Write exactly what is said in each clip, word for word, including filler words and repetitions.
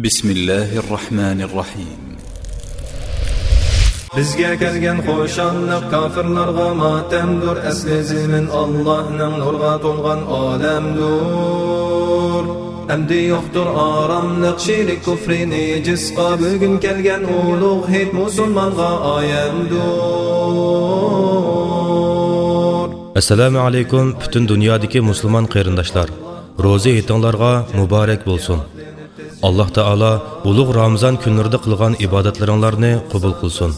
بسم الله الرحمن الرحيم. بىزگە كەلگەن خۇشاللىق كاپىرلارغا ماتەمدۇر، ئەسلى زېمىن ئاللاھنىڭ نۇرغا تولغان ئالەمدۇر. ئەمدى يوقتۇر ئاراملىق شېرىك كۇفرى نىجىسقا، بۈگۈن كەلگەن ئۇلۇغ ھېيت مۇسۇلمانغا ئايەمدۇر. ئەسسالامۇ ئەلەيكۇم، پۈتۈن دۇنيادىكى مۇسۇلمان قېرىنداشلار. روزا ھېيتىڭلارغا مۇبارەك بولسۇن. ئاللاھ تائالا ئۇلۇغ رامىزان كۈنلىرىدە قىلغان ئىبادەتلىرىڭلارنى قوبۇل قىلسۇن.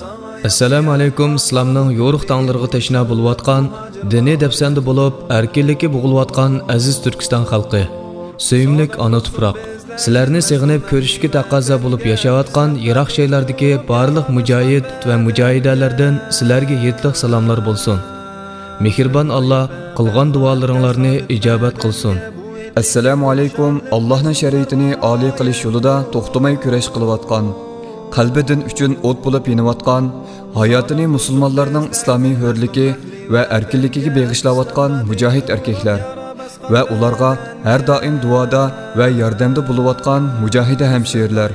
ئەسسالامۇ ئەلەيكۇم، ئىسلامنىڭ يورۇق تاڭلىرىغا تەشنا بولۇۋاتقان، دىنىي دەپسەندە بولۇپ، ئەركىنلىككە بوغۇلۇۋاتقان ئەزىز تۈركىستان خەلقى. سۆيۈملۈك ئانا تۇپراق. سىلەرنى سېغىنىپ كۆرۈشۈشكە تەقەززا بولۇپ ياشاۋاتقان يىراق شەھەرلەردىكى بارلىق مۇجاھىد ۋە مۇجاھىدەلەردىن سىلەرگە ھېيتلىق سالاملار بولسۇن. مېھرىبان ئاللاھ قىلغان دۇئالىرىڭلارنى ئىجابەت قىلسۇن. ئەسسالامۇ ئەلەيكۇم. ئاللاھنىڭ شەرىئىتىنى ئالىي قىلىش يولىدا توختىماي كۈرەش قىلىۋاتقان، قەلبى دىن ئۈچۈن ئوت بولۇپ يېنىۋاتقان، ھاياتىنى مۇسۇلمانلارنىڭ ئىسلامىي ھۆرلۈكى ۋە ئەركىنلىكىگە بېغىشلاۋاتقان مۇجاھىد ئەركەكلەر ۋە ئۇلارغا ھەر دائىم دۇئادا ۋە ياردەمدە بولۇۋاتقان مۇجاھىدە ھەمشىرىلەر،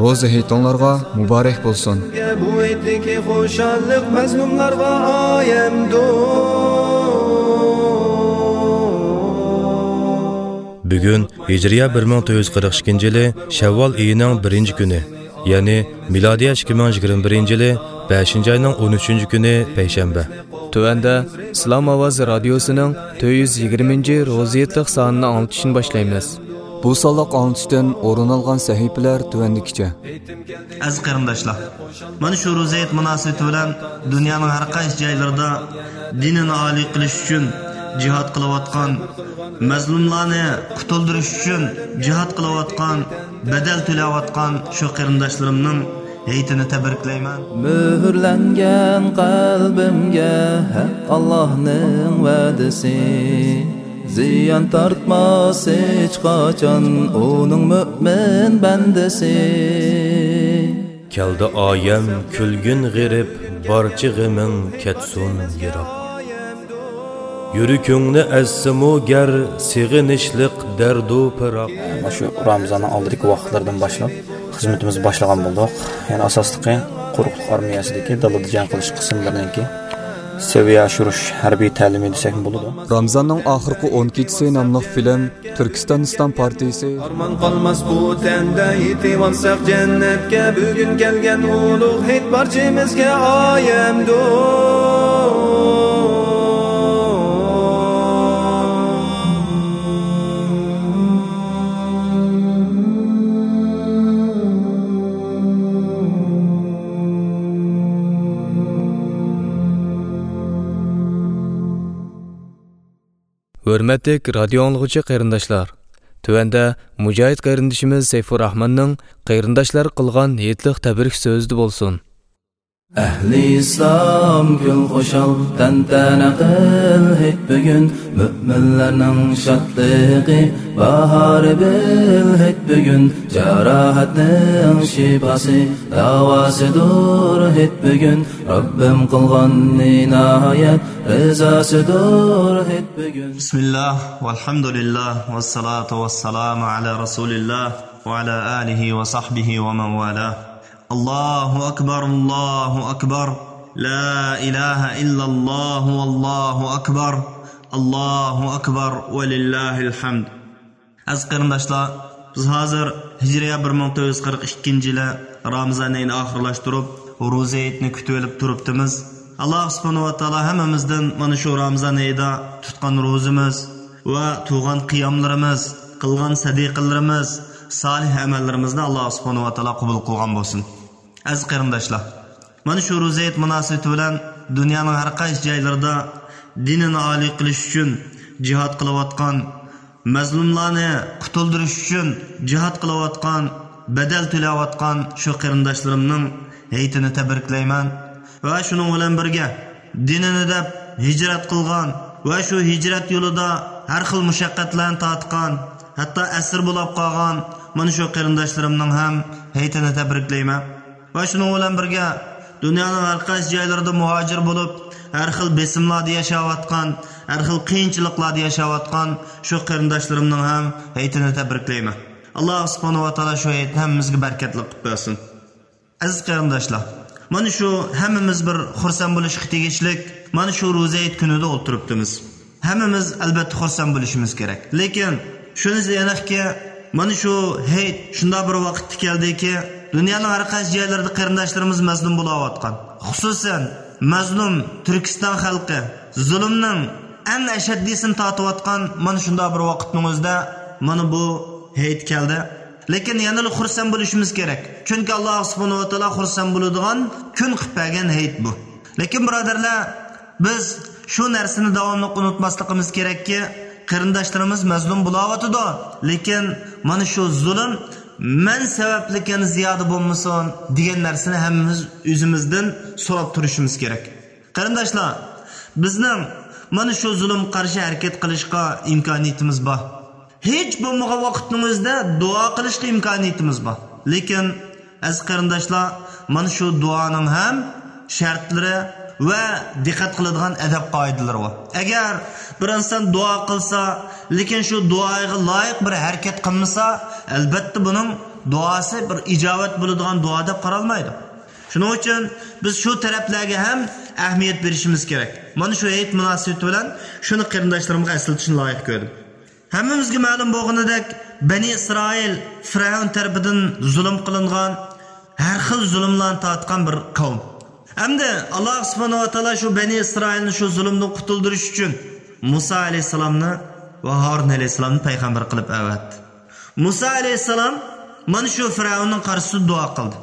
روزا ھېيتىڭلارغا مۇبارەك بولسۇن. بۇ ھېيتتىكى خۇشاللىق مەزلۇملارغا ئايەمدۇر. بۈگۈن ھىجرىيە بىر مىڭ تۆت يۈز قىرىق ئىككىنچى يىلى شەۋۋال ئېيىنىڭ بىرىنچى كۈنى، يەنى مىلادىيە ئىككى مىڭ يىگىرمە بىرىنچى يىلى بەشىنچى ئاينىڭ ئون ئۈچىنچى كۈنى پەيشەنبە. تۆۋەندە ئىسلام ئاۋازى رادىيوسىنىڭ تۆت يۈز يىگىرمىنچى روزا ھېيتلىق سانىنى ئاڭلىتىشنى باشلايمىز. بۇ سانلىق ئاڭلىتىشتىن ئورۇن ئالغان سەھىپىلەر تۆۋەندىكىچە. ئەزىز قېرىنداشلار، مانا شۇ روزا ھېيت مۇناسىۋىتى بىلەن دۇنيانىڭ ھەر قايسى جايلىرىدا دىنىنى ئالىي قىلىش ئۈچۈن جىھاد قىلىۋاتقان، مەزلۇملارنى قۇتۇلدۇرۇش ئۈچۈن جىھاد قىلىۋاتقان، بەدەل تۆلەۋاتقان شۇ قېرىنداشلىرىمنىڭ ھېيتىنى تەبرىكلەيمەن. مۆھۈرلەنگەن قەلبىمگە ھەق ئاللاھنىڭ ۋەدىسى، زىيان تارتماس ھېچقاچان ئۇنىڭ مۆمىن بەندىسى. كەلدى ئايەم كۈلگىن غېرىب، بارچە غېمىڭ كەتسۇن يىراق. يۈرىكىڭنى ئەزسىمۇ گەر سېغىنىشلىق دەردۇ پىراق. مانا شۇ رامىزاننىڭ ئالدىدىكى ۋاقىتلىرىدىن باشلاپ خىزمىتىمىزنى باشلىغان بولدۇق. يەنى ئاساسلىقى قۇرۇقلۇق ئارمىيەسىدىكى دالىدا جەڭ قىلىش قىسىملىرىنىڭكى سەۋىيە ئاشۇرۇش ھەربىي تەلىمى دېسەكمۇ بولىدۇ. رامىزاننىڭ ئاخىرقى ئون كېچىسى ناملىق فىلىم تۈركىستان ئىسلام پارتىيىسى. ئارمان قالماس بۇ تەندە، يېتىۋالساق جەننەتكە. بۈگۈن كەلگەن ئۇلۇغ ھېيت بارچىمىزگە ئايەمدۇر. ھۆرمەتلىك رادىيو ئاڭلىغۇچى قېرىنداشلار، تۆۋەندە مۇجاھىد قېرىندىشىمىز سەيپۇرراھماننىڭ قېرىنداشلارغا قىلغان ھېيتلىق تەبرىك سۆزىدە بولسۇن. ئەھلى ئىسلام كۈل خۇشال، تەنتەنە قىل ھېيت بۈگۈن، مۆمىنلەرنىڭ شادلىقى، باھارى بىل ھېيت بۈگۈن، جاراھەتنىڭ شىپاسى، داۋاسىدۇر ھېيت بۈگۈن، رەببىم قىلغان ئىنايەت، رىزاسىدۇر ھېيت بۈگۈن. بسم الله والحمد لله والصلاة والسلام على رسول الله وعلى آله وصحبه ومن والاه. الله أكبر، الله أكبر، لا إله إلا الله والله أكبر، الله أكبر ولله الحمد. ئەزىز قېرىنداشلار، بىز ھازىر ھىجرىيە بىر مىڭ تۆت يۈز قىرىق ئىككىنچى يىلى رامىزان ئېيىنى ئاخىرلاشتۇرۇپ، روزا ھېيتنى كۈتۈۋېلىپ تۇرۇپتىمىز. ئاللاھ سۇبھانەھۇ ۋە تائالا ھەممىمىزدىن مانا شۇ رامىزان ئېيىدا تۇتقان روزىمىز ۋە تۇغان قىياملىرىمىز، قىلغان سەدىقىلىرىمىز، سالىھ ئەمەللىرىمىزنى ئاللاھ سۇبھانەھۇ ۋە تائالا قوبۇل قىلغان بولسۇن. ئەزىز قېرىنداشلار، مانا شۇ روزا ھېيت مۇناسىۋىتى بىلەن دۇنيانىڭ ھەر قايسى جايلىرىدا دىنىنى ئالىي قىلىش ئۈچۈن جىھاد قىلىۋاتقان، مەزلۇملارنى قۇتۇلدۇرۇش ئۈچۈن جىھاد قىلىۋاتقان، بەدەل تۆلەۋاتقان شۇ قېرىنداشلىرىمنىڭ ھېيتىنى تەبرىكلەيمەن. ۋە شۇنىڭ بىلەن بىرگە، دىنىنى دەپ ھىجرەت قىلغان ۋە شۇ ھىجرەت يولىدا ھەر خىل مۇشەققەتلەرنى تارتقان، ھەتتا ئەسىر بولاپ قالغان مانا شۇ قېرىنداشلىرىمنىڭ ھەم ھېيتىنى تەبرىكلەيمەن. ۋە شۇنىڭ بىلەن بىرگە، دۇنيانىڭ ھەر قايسى جايلىرىدا مۇھاجىر بولۇپ، ھەر خىل بېسىملاردا ياشاۋاتقان، ھەر خىل قىيىنچىلىقلاردا ياشاۋاتقان شۇ قېرىنداشلىرىمنىڭ ھەم ھېيتىنى تەبرىكلەيمەن. ئاللا سۇبھانەھۇ ۋە تائالا شۇ ھېيتنى ھەممىمىزگە بەرىكەتلىك قىلىپ بەرسۇن. ئەزىز قېرىنداشلار، مانا شۇ ھەممىمىز بىر خۇرسەن بولۇشقا تېگىشلىك، مانا شۇ روزا ھېيت كۈنىدە ئولتۇرۇپتىمىز. ھەممىمىز ئەلبەتتە خۇرسەن بولۇشىمىز كېرەك. لېكىن شۇنىسى ئېنىقكى، مانا شۇ ھېيت شۇنداق بىر ۋاقىتتا كەلدىكى، دۇنيانىڭ ھەر قايسى جايلىرىدا قېرىنداشلىرىمىز مەزلۇم بولاۋاتقان. خۇسۇسەن، مەزلۇم تۈركىستان خەلقى زۇلۇمنىڭ ئەڭ ئەشەددىيسىنى تارتىۋاتقان مانا شۇنداق بىر ۋاقىتنىڭ ئۆزىدە مانا بۇ ھېيت كەلدى. لېكىن يەنىلا خۇرسەن بولۇشىمىز كېرەك. چۈنكى ئاللا سۇبھانەھۇ ۋە تائالا خۇرسەن بولىدىغان كۈن قىلىپ بەرگەن ھېيت بۇ. لېكىن بۇرادەرلەر، بىز شۇ نەرسىنى داۋاملىق ئۇنتۇماسلىقىمىز كېرەككى، قېرىنداشلىرىمىز مەزلۇم بولاۋاتىدۇ. لېكىن مانا شۇ زۇلۇم مەن سەۋەبلىكىن زىيادە بولمىسۇن دېگەن نەرسىنى ھەممىمىز ئۆزىمىزدىن سوراپ تۇرۇشىمىز كېرەك. قېرىنداشلار، بىزنىڭ مانا شۇ زۇلۇمغا قارشى ھەرىكەت قىلىشقا ئىمكانىيىتىمىز بار. ھېچ بولمىغان ۋاقىتنىڭ ئۆزىدە دۇئا قىلىشقا ئىمكانىيىتىمىز بار. لېكىن، ئەزىز قېرىنداشلار، مانا شۇ دۇئانىڭ ھەم شەرتلىرى ۋە دىققەت قىلىدىغان ئەدەپ قائىدىلىرى بار. ئەگەر بىر ئىنسان دۇئا قىلسا، لېكىن شۇ دۇئاغا لايىق بىر ھەرىكەت قىلمىسا، ئەلبەتتە بۇنىڭ دۇئاسى بىر ئىجابەت بولىدىغان دۇئا دەپ قارالمايدۇ. شۇنىڭ ئۈچۈن بىز شۇ تەرەپلەرگە ھەم ئەھمىيەت بېرىشىمىز كېرەك. مانا شۇ ھېيت مۇناسىۋىتى بىلەن شۇنى قېرىنداشلىرىمغا ئەسلىتىشنى لايىق كۆردۈم. ھەممىمىزگە مەلۇم بولغىنىدەك، بەنى ئىسرائىل فىرئەۋن تەرىپىدىن زۇلۇم قىلىنغان، ھەر خىل زۇلۇملارنى تارتقان بىر قەۋم. ئەمدى ئاللا سۇبھانەھۇ ۋە تائالا شۇ بەنى ئىسرائىلنى شۇ زۇلۇمدىن قۇتۇلدۇرۇش ئۈچۈن مۇسا ئەلەيھىسسالامنى ۋە ھارۇن ئەلەيھىسسالامنى پەيغەمبەر قىلىپ ئەۋەتتى. مۇسا ئەلەيھىسسالام مانا شۇ فىرئەۋننىڭ قارشىسىدا دۇئا قىلدى.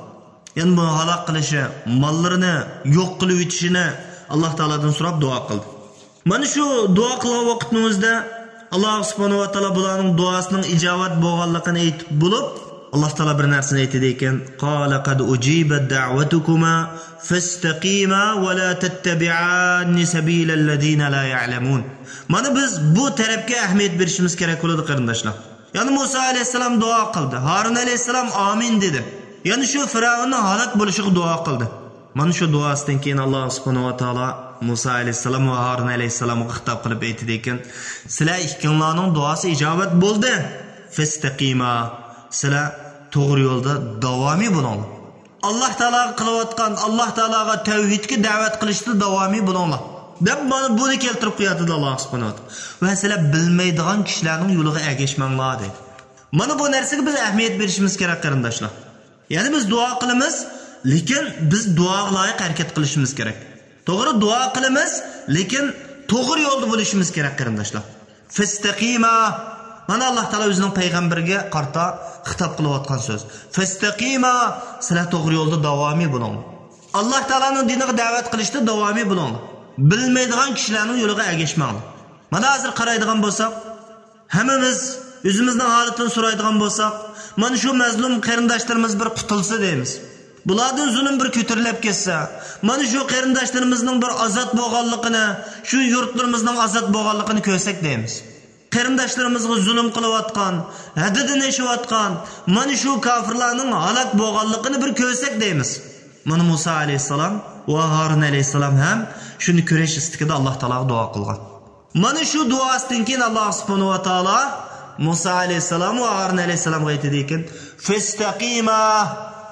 يەنى بۇنى ھالاك قىلىشى، ماللىرىنى يوق قىلىۋېتىشىنى ئاللا تائالادىن سوراپ دۇئا قىلدى. مانا شۇ دۇئا قىلغان ۋاقىتنىڭ ئۆزىدە ئاللا سۇبھانەھۇ ۋە تائالا بۇلارنىڭ دۇئاسىنىڭ ئىجابەت بولغانلىقىنى ئېيتىپ بولۇپ، ئاللا تائالا بىر نەرسىنى ئېيتىدىكەن، قال قد أجيبت دعوتكما فاستقيما ولا تتبعان سبيل الذين لا يعلمون. مانا بىز بۇ تەرەپكە ئەھمىيەت بېرىشىمىز كېرەك بولىدۇ، قېرىنداشلار. يەنە مۇسا ئەلەيھىسسالام دۇئا قىلدى. ھارۇن ئەلەيھىسسالام ئامىن دېدى. يەنە شۇ فىرئەۋننىڭ ھالاك بولۇشىغا دۇئا قىلدى. مانا شۇ دۇئاسىدىن كېيىن ئاللا سۇبھانەھۇ ۋە تائالا مۇسا ئەلەيھىسسالام ۋە ھارۇن ئەلەيھىسسالامغا خىتاب قىلىپ ئېيتىدىكەن، سىلەر ئىككىڭلارنىڭ دۇئاسى ئىجابەت بولدى. فاستقيما، سىلەر توغرا يولدا داۋامىي بولۇڭلار. ئاللا تائالاغا قىلىۋاتقان، ئاللا تائالاغا تەۋھىدكە دەۋەت قىلىشتا داۋامىي بولۇڭلار، دەپ مانا بۇنى كەلتۈرۈپ قوياتىدۇ ئاللا سۇبھانەھۇ ۋە تائالا. ۋە سىلەر بىلمەيدىغان كىشىلەرنىڭ يولىغا ئەگەشمەڭلار دەيدۇ. مانا بۇ نەرسىگە بىز ئەھمىيەت بېرىشىمىز كېرەك، قېرىنداشلار. يەنى بىز دۇئا قىلىمىز، لېكىن بىز دۇئاغا لايىق ھەرىكەت قىلىشىمىز كېرەك. توغرا، دۇئا قىلىمىز، لېكىن توغرا يولدا بولۇشىمىز كېرەك، قېرىنداشلار. فاستقيما. مانا ئاللا تائالا ئۆزىنىڭ پەيغەمبىرىگە قارىتا خىتاب قىلىۋاتقان سۆز. فاستقيما، سىلەر توغرا يولدا داۋامىي بولۇڭلار. ئاللا تائالانىڭ دىنىغا دەۋەت قىلىشتا داۋامىي بولۇڭلار. بىلمەيدىغان كىشىلەرنىڭ يولىغا ئەگەشمەڭلار. مانا ھازىر قارايدىغان بولساق، ھەممىمىز ئۆزىمىزنىڭ ھالىتىنى سورايدىغان بولساق، مانا شۇ مەزلۇم قېرىنداشلىرىمىز بىر قۇتۇلسا دەيمىز. بۇلاردىن زۇلۇم بىر كۆتۈرۈلۈپ كەتسە، مانا شۇ قېرىنداشلىرىمىزنىڭ بىر ئازاد بولغانلىقىنى، شۇ يۇرتلىرىمىزنىڭ ئازاد بولغانلىقىنى كۆرسەك دەيمىز. قېرىنداشلىرىمىزغا زۇلۇم قىلىۋاتقان، ھەددىدىن ئېشىۋاتقان مانا شۇ كاپىرلارنىڭ ھالاك بولغانلىقىنى بىر كۆرسەك دەيمىز. مانا مۇسا ئەلەيھىسسالام ۋە ھارۇن ئەلەيھىسسالام ھەم شۇنى كۆرۈش ئىستىكىدە ئاللا تائالاغا دۇئا قىلغان. مانا شۇ دۇئاسىدىن كېيىن ئاللا سۇبھانەھۇ ۋە تائالا مۇسا ئەلەيھىسسالام ۋە ھارۇن ئەلەيھىسسالامغا ئېيتىدىكەن، فاستقيما،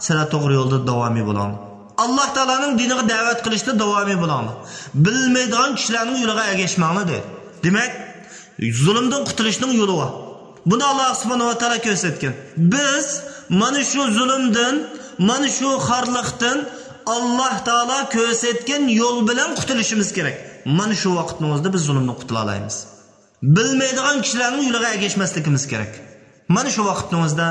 سىلەر توغرا يولدا داۋامىي بولۇڭ. ئاللا تائالانىڭ دىنىغا دەۋەت قىلىشتا داۋامىي بولۇڭلار. بىلمەيدىغان كىشىلەرنىڭ يولىغا ئەگەشمەڭلار دەيدۇ. دېمەك، زۇلۇمدىن قۇتۇلۇشنىڭ يولى بار. بۇنى ئاللا سۇبھانەھۇ ۋە تائالا كۆرسەتكەن. بىز مانا شۇ زۇلۇمدىن، مانا شۇ خارلىقتىن ئاللا تائالا كۆرسەتكەن يول بىلەن قۇتۇلۇشىمىز كېرەك. مانا شۇ ۋاقىتنىڭ ئۆزىدە بىز زۇلۇمدىن قۇتۇلالايمىز. بىلمەيدىغان كىشىلەرنىڭ يولىغا ئەگەشمەسلىكىمىز كېرەك. مانا شۇ ۋاقىتنىڭ ئۆزىدە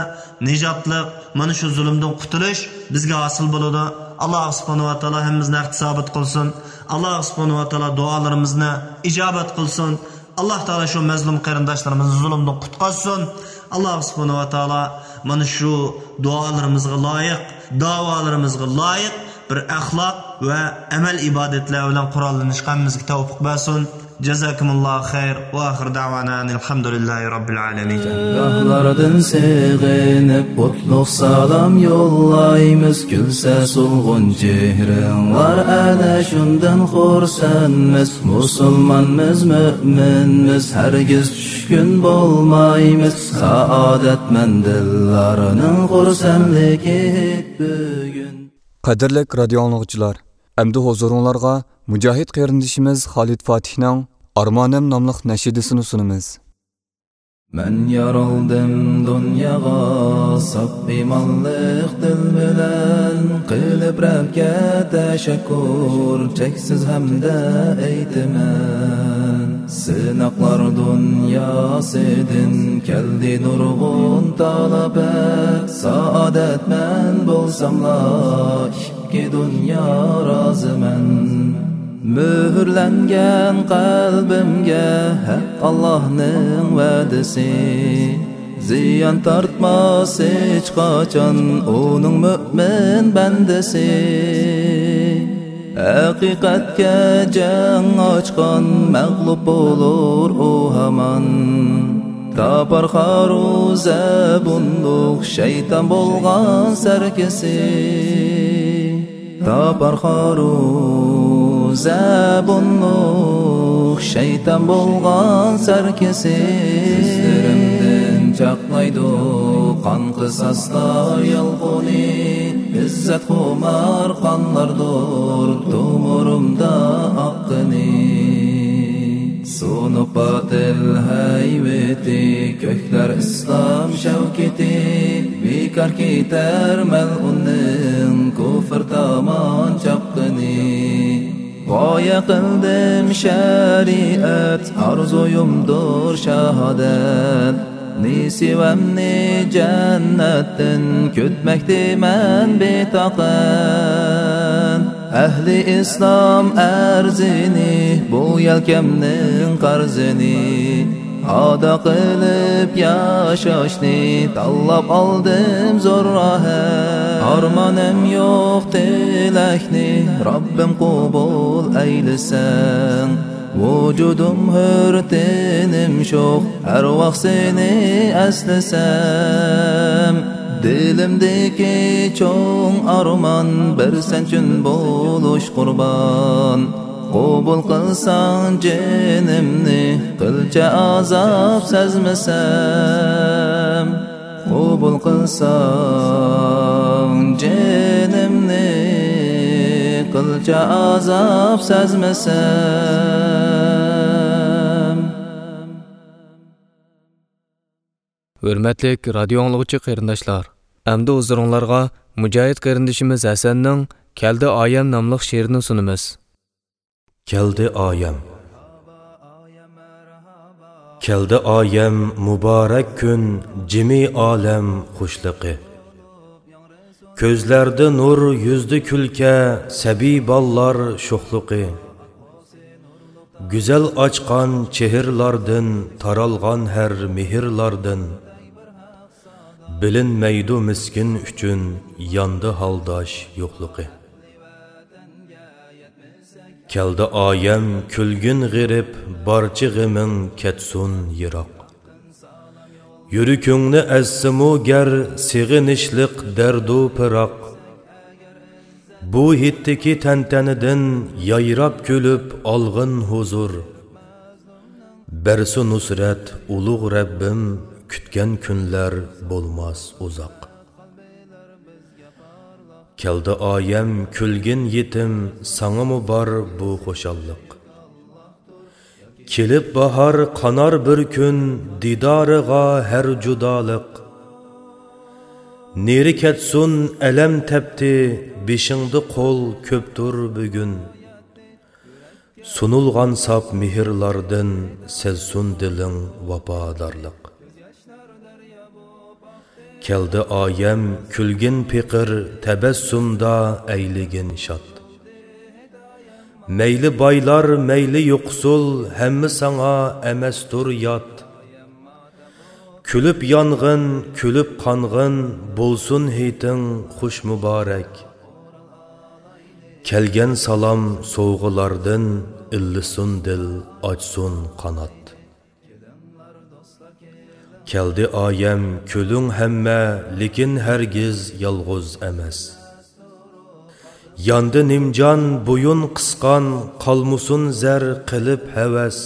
نىجاتلىق، مانا شۇ زۇلۇمدىن قۇتۇلۇش بىزگە ھاسىل بولىدۇ. ئاللا سۇبھانەھۇ ۋە تائالا ھەممىمىزنى ھەق سابىت قىلسۇن. ئاللا سۇبھانەھۇ ۋە تائالا دۇئالىرىمىزنى ئىجابەت قىلسۇن. ئاللا تائالا شۇ مەزلۇم قېرىنداشلىرىمىزنى زۇلۇمدىن قۇتقۇزسۇن. ئاللا سۇبھانەھۇ ۋە تائالا مانا شۇ دۇئالىرىمىزغا لايىق، داۋالىرىمىزغا لايىق بىر ئەخلاق ۋە ئەمەل ئىبادەتلەر بىلەن قوراللىنىشقا ھەممىمىزگە تەۋپىق بەرسۇن. جازاكم الله خير، وآخر دعوانا أن الحمد لله رب العالمين. گاھلاردىن سېغىنىپ، قۇتلۇق سالام يوللايمىز. كۈلسە سولغۇن چېھرىڭلار، ئەنە شۇندىن خۇرسەنمىز. مۇسۇلمانمىز، مۆمىنمىز، ھەرگىز چۈشكۈن بولمايمىز. سائادەتمەن دىللارنىڭ خۇرسەنلىكى بۈگۈن. قەدىرلىك رادىيو ئاڭلىغۇچىلار، ئەمدى ھۇزۇرۇڭلارغا مۇجاھىد قېرىندىشىمىز خالىد فاتىھنىڭ ئارمانىم ناملىق نەشىدىسىنى سۇنىمىز. مەن يارالدىم دۇنياغا ساپ ئىمانلىق دىل بىلەن، قىلىپ رەبكە تەشەككۇر چەكسىز ھەمدە ئېيتىمەن. سىناقلار دۇنياسىدىن كەلدى نۇرغۇن تالاپەت، سائادەتمەن بولساملا ئىككى دۇنيا رازىمەن. مۆھۈرلەنگەن قەلبىمگە ھەق ئاللاھنىڭ ۋەدىسى، زىيان تارتماس ھېچقاچان ئۇنىڭ مۆمىن بەندىسى. ھەقىقەتكە جەڭ ئاچقان مەغلۇپ بولۇر ئۇ ھامان، تاپار خارۇ زەبۇنلۇق شەيتان بولغان سەركىسى. تاپار خارۇ زەبۇنلۇق شەيتان بولغان سەركىسى. كۆزلىرىمدىن چاقنايدۇ قان قىساسلار يالقۇنى، ئىززەتخۇمار قانلاردۇر تومۇرۇمدا ئاققىنى. سۇنۇق باتىل ھەيۋىتى، كۆكلەر ئىسلام شەۋكىتى، بىكار كېتەر مەلئۇننىڭ كۇفر تامان چاپقىنى. غايە قىلدىم شەرىئەت، ئارزۇيۇمدۇر شاھادەت. نېسىۋەمنى جەننەتتىن كۈتمەكتىمەن بىتاقەت. ئەھلى ئىسلام ئەرزىنى، بۇ يەلكەمنىڭ قەرزىنى، ئادا قىلىپ ياشاشنى تاللاپ ئالدىم زور راھەت. ئارمانىم يوق تىلەكنى، رەببىم قوبۇل ئەيلىسەڭ. ۋۇجۇدۇم ھۆر، تېنىم شوخ، ھەر ۋاقىت سېنى ئەسلىسەم. دىلىمدىكى چوڭ ئارمان، بىر سەن ئۈچۈن بولۇش قۇربان. قوبۇل قىلساڭ جېنىمنى، قىلچە ئازاب سەزمىسەم. قوبۇل قىلساڭ جېنىمنى، قىلچە ئازاب سەزمىسەم. ھۆرمەتلىك رادىيو ئاڭلىغۇچى قېرىنداشلار، ئەمدى ھۇزۇرۇڭلارغا مۇجاھىد قېرىندىشىمىز ھەسەننىڭ كەلدى ئايەم ناملىق شېئىرىنى سۇنىمىز. كەلدى ئايەم. كەلدى ئايەم، مۇبارەك كۈن، جىمى ئالەم خۇشلۇقى. كۆزلەردە نۇر، يۈزدە كۈلكە، سەبىي بالىلار شوخلۇقى. گۈزەل ئاچقان چېھىرلاردىن، تارالغان ھەر مېھىرلاردىن، بىلىنمەيدۇ مىسكىن ئۈچۈن ياندى ھالداش يوقلۇقى. كەلدى ئايەم، كۈلگىن غېرىب، بارچە غېمىڭ كەتسۇن يىراق. يۈرىكىڭنى ئەزسىمۇ گەر سېغىنىشلىق دەردۇ پىراق، بۇ ھېيتتىكى تەنتەنىدىن يايراپ كۈلۈپ ئالغىن ھۇزۇر. بەرسۇ نۇسرەت ئۇلۇغ رەببىم، كۈتكەن كۈنلەر بولماس ئۇزاق. كەلدى ئايەم، كۈلگىن يېتىم، ساڭىمۇ بار بۇ خۇشاللىق. كېلىپ باھار قانار بىر كۈن، دىدارىغا ھەر جۇدالىق. نېرى كەتسۇن ئەلەم تەپتى، بېشىڭدا قول كۆپتۇر بۈگۈن. سۇنۇلغان ساپ مېھىرلاردىن، سەزسۇن دىلىڭ ۋاپادارلىق. كەلدى ئايەم، كۈلگىن پېقىر، تەبەسسۇمدا ئەيلىگىن شاد. مەيلى بايلار، مەيلى يوقسۇل، ھەممە ساڭا ئەمەستۇر يات. كۈلۈپ يانغىن، كۈلۈپ قانغىن، بولسۇن ھېيتىڭ خۇش مۇبارەك. كەلگەن سالام سوۋغىلاردىن، ئىللىسۇن دىل، ئاچسۇن قانات. كەلدى ئايەم، كۈلۈڭ ھەممە، لېكىن ھەرگىز يالغۇز ئەمەس. ياندى نىمجان، بويۇن قىسقان، قالمىسۇن زەر قىلىپ ھەۋەس.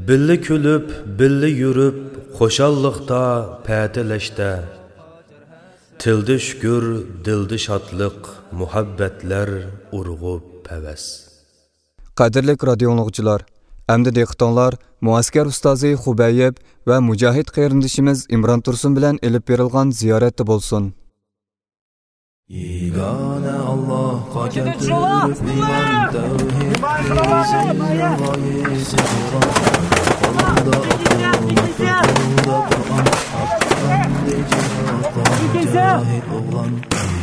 بىللە كۈلۈپ، بىللە يۈرۈپ، خۇشاللىقتا، پەتىلەشتە. تىلدا شۈكۈر، دىلدا شادلىق، مۇھەببەتلەر ئۇرغۇپ پەۋەس. قەدىرلىك رادىيو ئاڭلىغۇچىلار، ئەمدى دىققىتىڭلار مۇئەسكەر ئۇستازى خۇبەيىب ۋە مۇجاھىد قېرىندىشىمىز ئىمران تۇرسۇن بىلەن ئېلىپ بېرىلغان زىيارەتتە بولسۇن. يېگانە ئاللاھقا كەلتۈرۈپ ئىمان، تەۋھىدنى زىينىغا يېسىغان، قولدا ئاقىل، قولدا قۇرئان، ئاتلاندى جىھادقا مۇجاھىد ئوغلان.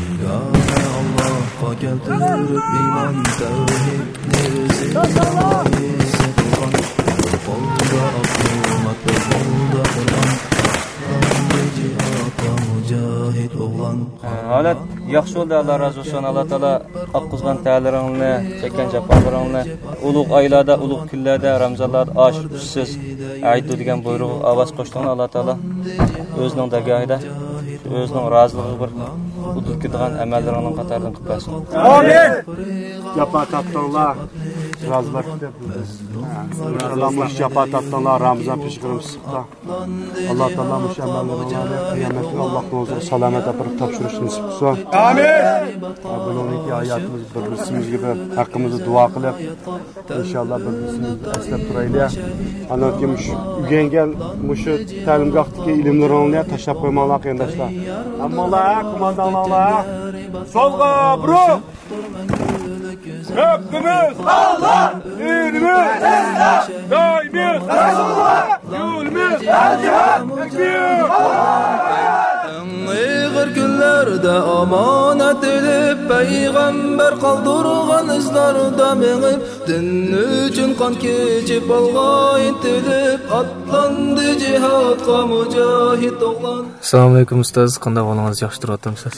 يېگانە ئاللاھقا كەلتۈرۈپ ئىمان، تەۋھىدنى زىينىغا يېسىغان، قولدا ئاقىل، قولدا قۇرئان، ئاتلاندى جىھادقا مۇجاھىد ئوغلان. ھالەت ياخشى بولدى، ئاللا رازى بولسۇن. ئاللا تائالا ئاققۇزغان تەرلىرىڭنى، چەككەن جاپالىرىڭنى ئۇلۇغ ئايلاردا، ئۇلۇغ كۈنلەردە، رامزانلاردا ئاشۇ ئۈچسىز ئايدۇ دېگەن بۇيرۇغىغا ئاۋاز قوشتۇڭلار. ئاللا تائالا ئۆزىنىڭ دەرگاھىدا ئۆزىنىڭ رازىلىقىغا بىر ئۇدۇل كېتىدىغان ئەمەللىرىڭنىڭ قاتارىدىن قىلىپ بەرسۇن. ئامىن. جاپا تارتتىڭلار، رازىلار كۈتۈپ. ئىنشاللا مۇشۇ جاپا تارتتىڭلار، رامزان پېشى قىلىمىز. ئاللا تائالا مۇشۇ ئەمەللىرىڭلارنى قىيامەت كۈنى ئاللا قولىڭىزغا سالامەت ئاپىرىپ تاپشۇرۇشنى نېسىپ قىلسۇن. ئامىن. بۇنىڭدىن كېيىن ھاياتىمىز بىر بىرسىمىزگە بىر ھەققىمىزنى دۇئا قىلىپ، ئىنشاللا بىر بىرسىمىزنى ئەسلەپ تۇرايلى. ئاندىن كېيىن مۇشۇ ئۆگەنگەن مۇشۇ تەلىمگاھتىكى ئىلىملىرىڭلارنى تاشلاپ قويماڭلار قېرىنداشلار. ھەممىڭلار، كومانداڭلار سولغا بۇرۇل! رەببىمىز ئاللا! دىنىمىز ئىسلام! دايىمىز رەسۇلۇللا! يولىمىز ئەل-جىھاد! تەكبىر! ئەڭ ئېغىر كۈنلەردە ئامانەت ئېلىپ، پەيغەمبەر قالدۇرغان ئىزلاردا مېڭىپ، دىن ئۈچۈن قان كېچىپ، ئالغا ئىنتىلىپ، ئاتلاندى جىھادقا مۇجاھىد ئوغلان. ئەسسالامۇئەلەيكۇم ئۇستاز، قانداق ئەھۋالىڭىز، ياخشى تۇرۇۋاتامسىز؟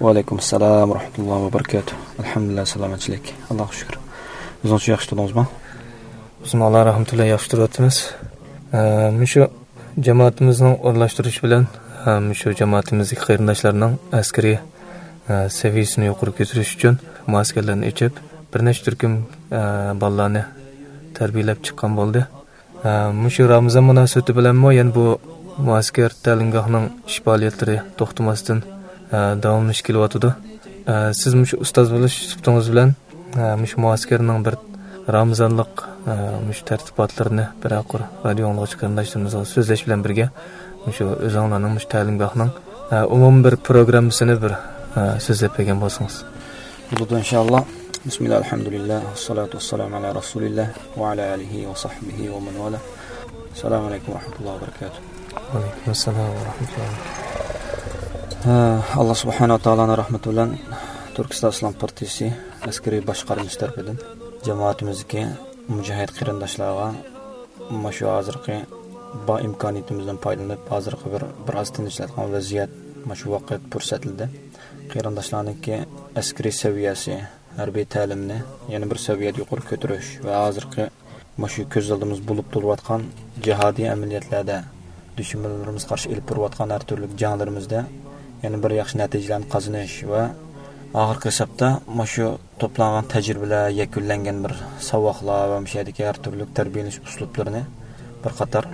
ۋەئەلەيكۇم ئەسسالام ۋە رەھمەتۇللاھى ۋە بەرىكاتۇھ. ئەلھەمدۇلىللاھ، سالامەتچىلىك. ئاللاھقا شۈكۈر. ئۆزىڭىزچە ياخشى تۇردىڭىزمۇ؟ بىزمۇ ئاللا رەھمىتى بىلەن ياخشى تۇرۇۋاتىمىز. ئە، مۇشۇ جامائىتىمىزنىڭ ئورۇنلاشتۇرۇشى بىلەن، ئە، مۇشۇ جامائىتىمىزدىكى قېرىنداشلارنىڭ ئەسكىرىي، ئە، سەۋىيەسىنى يۇقىرى كۆتۈرۈش ئۈچۈن مۇئەسكەرلەرنى ئېچىپ، بىر نەچچە تۈركۈم، ئە، بالىلارنى تەربىيەلەپ چىققان بولدى. ئە، مۇشۇ رامىزان مۇناسىۋىتى بىلەنمۇ يەنە بۇ مۇئەسكەر تەلىمگاھنىڭ ئىش پائالىيەتلىرى توختىماستىن، ئە، داۋاملىشىپ كېلىۋاتىدۇ. ئە، سىز مۇشۇ ئۇستاز بولۇش سۈپىتىڭىز بىلەن، ئە، مۇشۇ مۇئەسكەرنىڭ بىر رامىزانلىق، ئە، مۇشۇ تەرتىپاتلىرىنى بىرەر قۇر رادىيو ئاڭلىغۇچى قېرىنداشلىرىمىزغا سۆزلەش بىلەن بىرگە، مۇشۇ ئۆزۈڭلارنىڭ مۇشۇ تەلىمگاھنىڭ، ئە، ئومۇمىي بىر پروگراممىسىنى بىر، ئە، سۆزلەپ بەرگەن بولسىڭىز. بولىدۇ، ئىنشائاللا. بىسمىللا، ئەلھەمدۇلىللا، ۋەسسالاتۇ ۋەسسالامۇ ئەلا رەسۇلىللا ۋە ئەلا ئالىھى ۋە سەھبىھى ۋە مەن ۋالا. ئەسسالامۇ ئەلەيكۇم ۋە رەھمەتۇللاھى ۋە بەرىكاتۇھ. ۋەئەلەيكۇم ئەسسالام ۋە رەھمەتۇللاھ. ھە، ئاللا سۇبھانەھۇ ۋە تائالانىڭ رەھمىتى بىلەن تۈركىستان ئىسلام پارتىيىسى ئەسكىرىي باشقارمىسى تەرىپىدىن جامائىتىمىزدىكى مۇجاھىد قېرىنداشلارغا مۇشۇ ھازىرقى بار ئىمكانىيىتىمىزدىن پايدىلىنىپ، ھازىرقى بىر، بىر ئاز تىنچلاتقان ۋەزىيەت، مۇشۇ ۋاقىت پۇرسەتلىدە قېرىنداشلارنىڭكى ئەسكىرىي سەۋىيەسى، ھەربىي تەلىمنى يەنە بىر سەۋىيەدە يۇقىرى كۆتۈرۈش ۋە ھازىرقى مۇشۇ كۆز ئالدىمىزدا بولۇپ تۇرۇۋاتقان جىھادىي ئەمەلىيەتلەردە، دۈشمەنلىرىمىزغا قارشى ئېلىپ بېرىۋاتقان ھەر تۈرلۈك جەڭلىرىمىزدە يەنە بىر ياخشى نەتىجىلەرنى قازىنىش ۋە ئاخىرقى ھېسابتا مۇشۇ توپلانغان تەجرىبىلەر، يەكۈنلەنگەن بىر ساۋاقلار ۋە مۇشۇ يەردىكى ھەر تۈرلۈك تەربىيەلىنىش ئۇسلۇبلىرىنى بىر قاتار،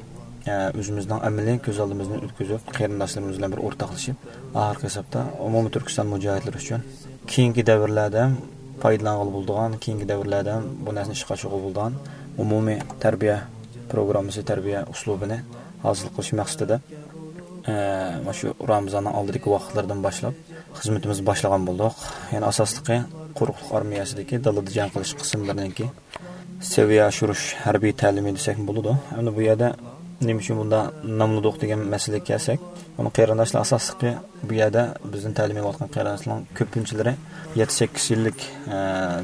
ئە، ئۆزىمىزنىڭ ئەمەلىي كۆز ئالدىمىزدىن ئۆتكۈزۈپ، قېرىنداشلىرىمىز بىلەن بىر ئورتاقلىشىپ، ئاخىرقى ھېسابتا ئومۇمىي تۈركىستان مۇجاھىدلىرى ئۈچۈن كېيىنكى دەۋرلەردە ھەم پايدىلانغىلى بولىدىغان، كېيىنكى دەۋرلەردە ھەم بۇ نەرسىنى ئىشقا ئاشۇرغىلى بولىدىغان ئومۇمىي تەربىيە پروگراممىسى، تەربىيە ئۇسلۇبىنى ھاسىل قىلىش مەقسىتىدە، ئە، مۇشۇ رامىزاننىڭ ئالدىدىكى ۋاقىتلىرىدىن باشلاپ خىزمىتىمىزنى باشلىغان بولدۇق. يەنى ئاساسلىقى قۇرۇقلۇق ئارمىيەسىدىكى دالىدا جەڭ قىلىش قىسىملىرىنىڭكى سەۋىيە ئاشۇرۇش ھەربىي تەلىمى دېسەكمۇ بولىدۇ. ئەمدى بۇ يەردە نېمە ئۈچۈن بۇنداق ناملىدۇق دېگەن مەسىلىگە كەلسەك، بۇنى قېرىنداشلار ئاساسلىقى بۇ يەردە بىزدىن تەلىم ئېلىۋاتقان قېرىنداشلارنىڭ كۆپىنچىلىرى يەتتە سەككىز يىللىك، ئە،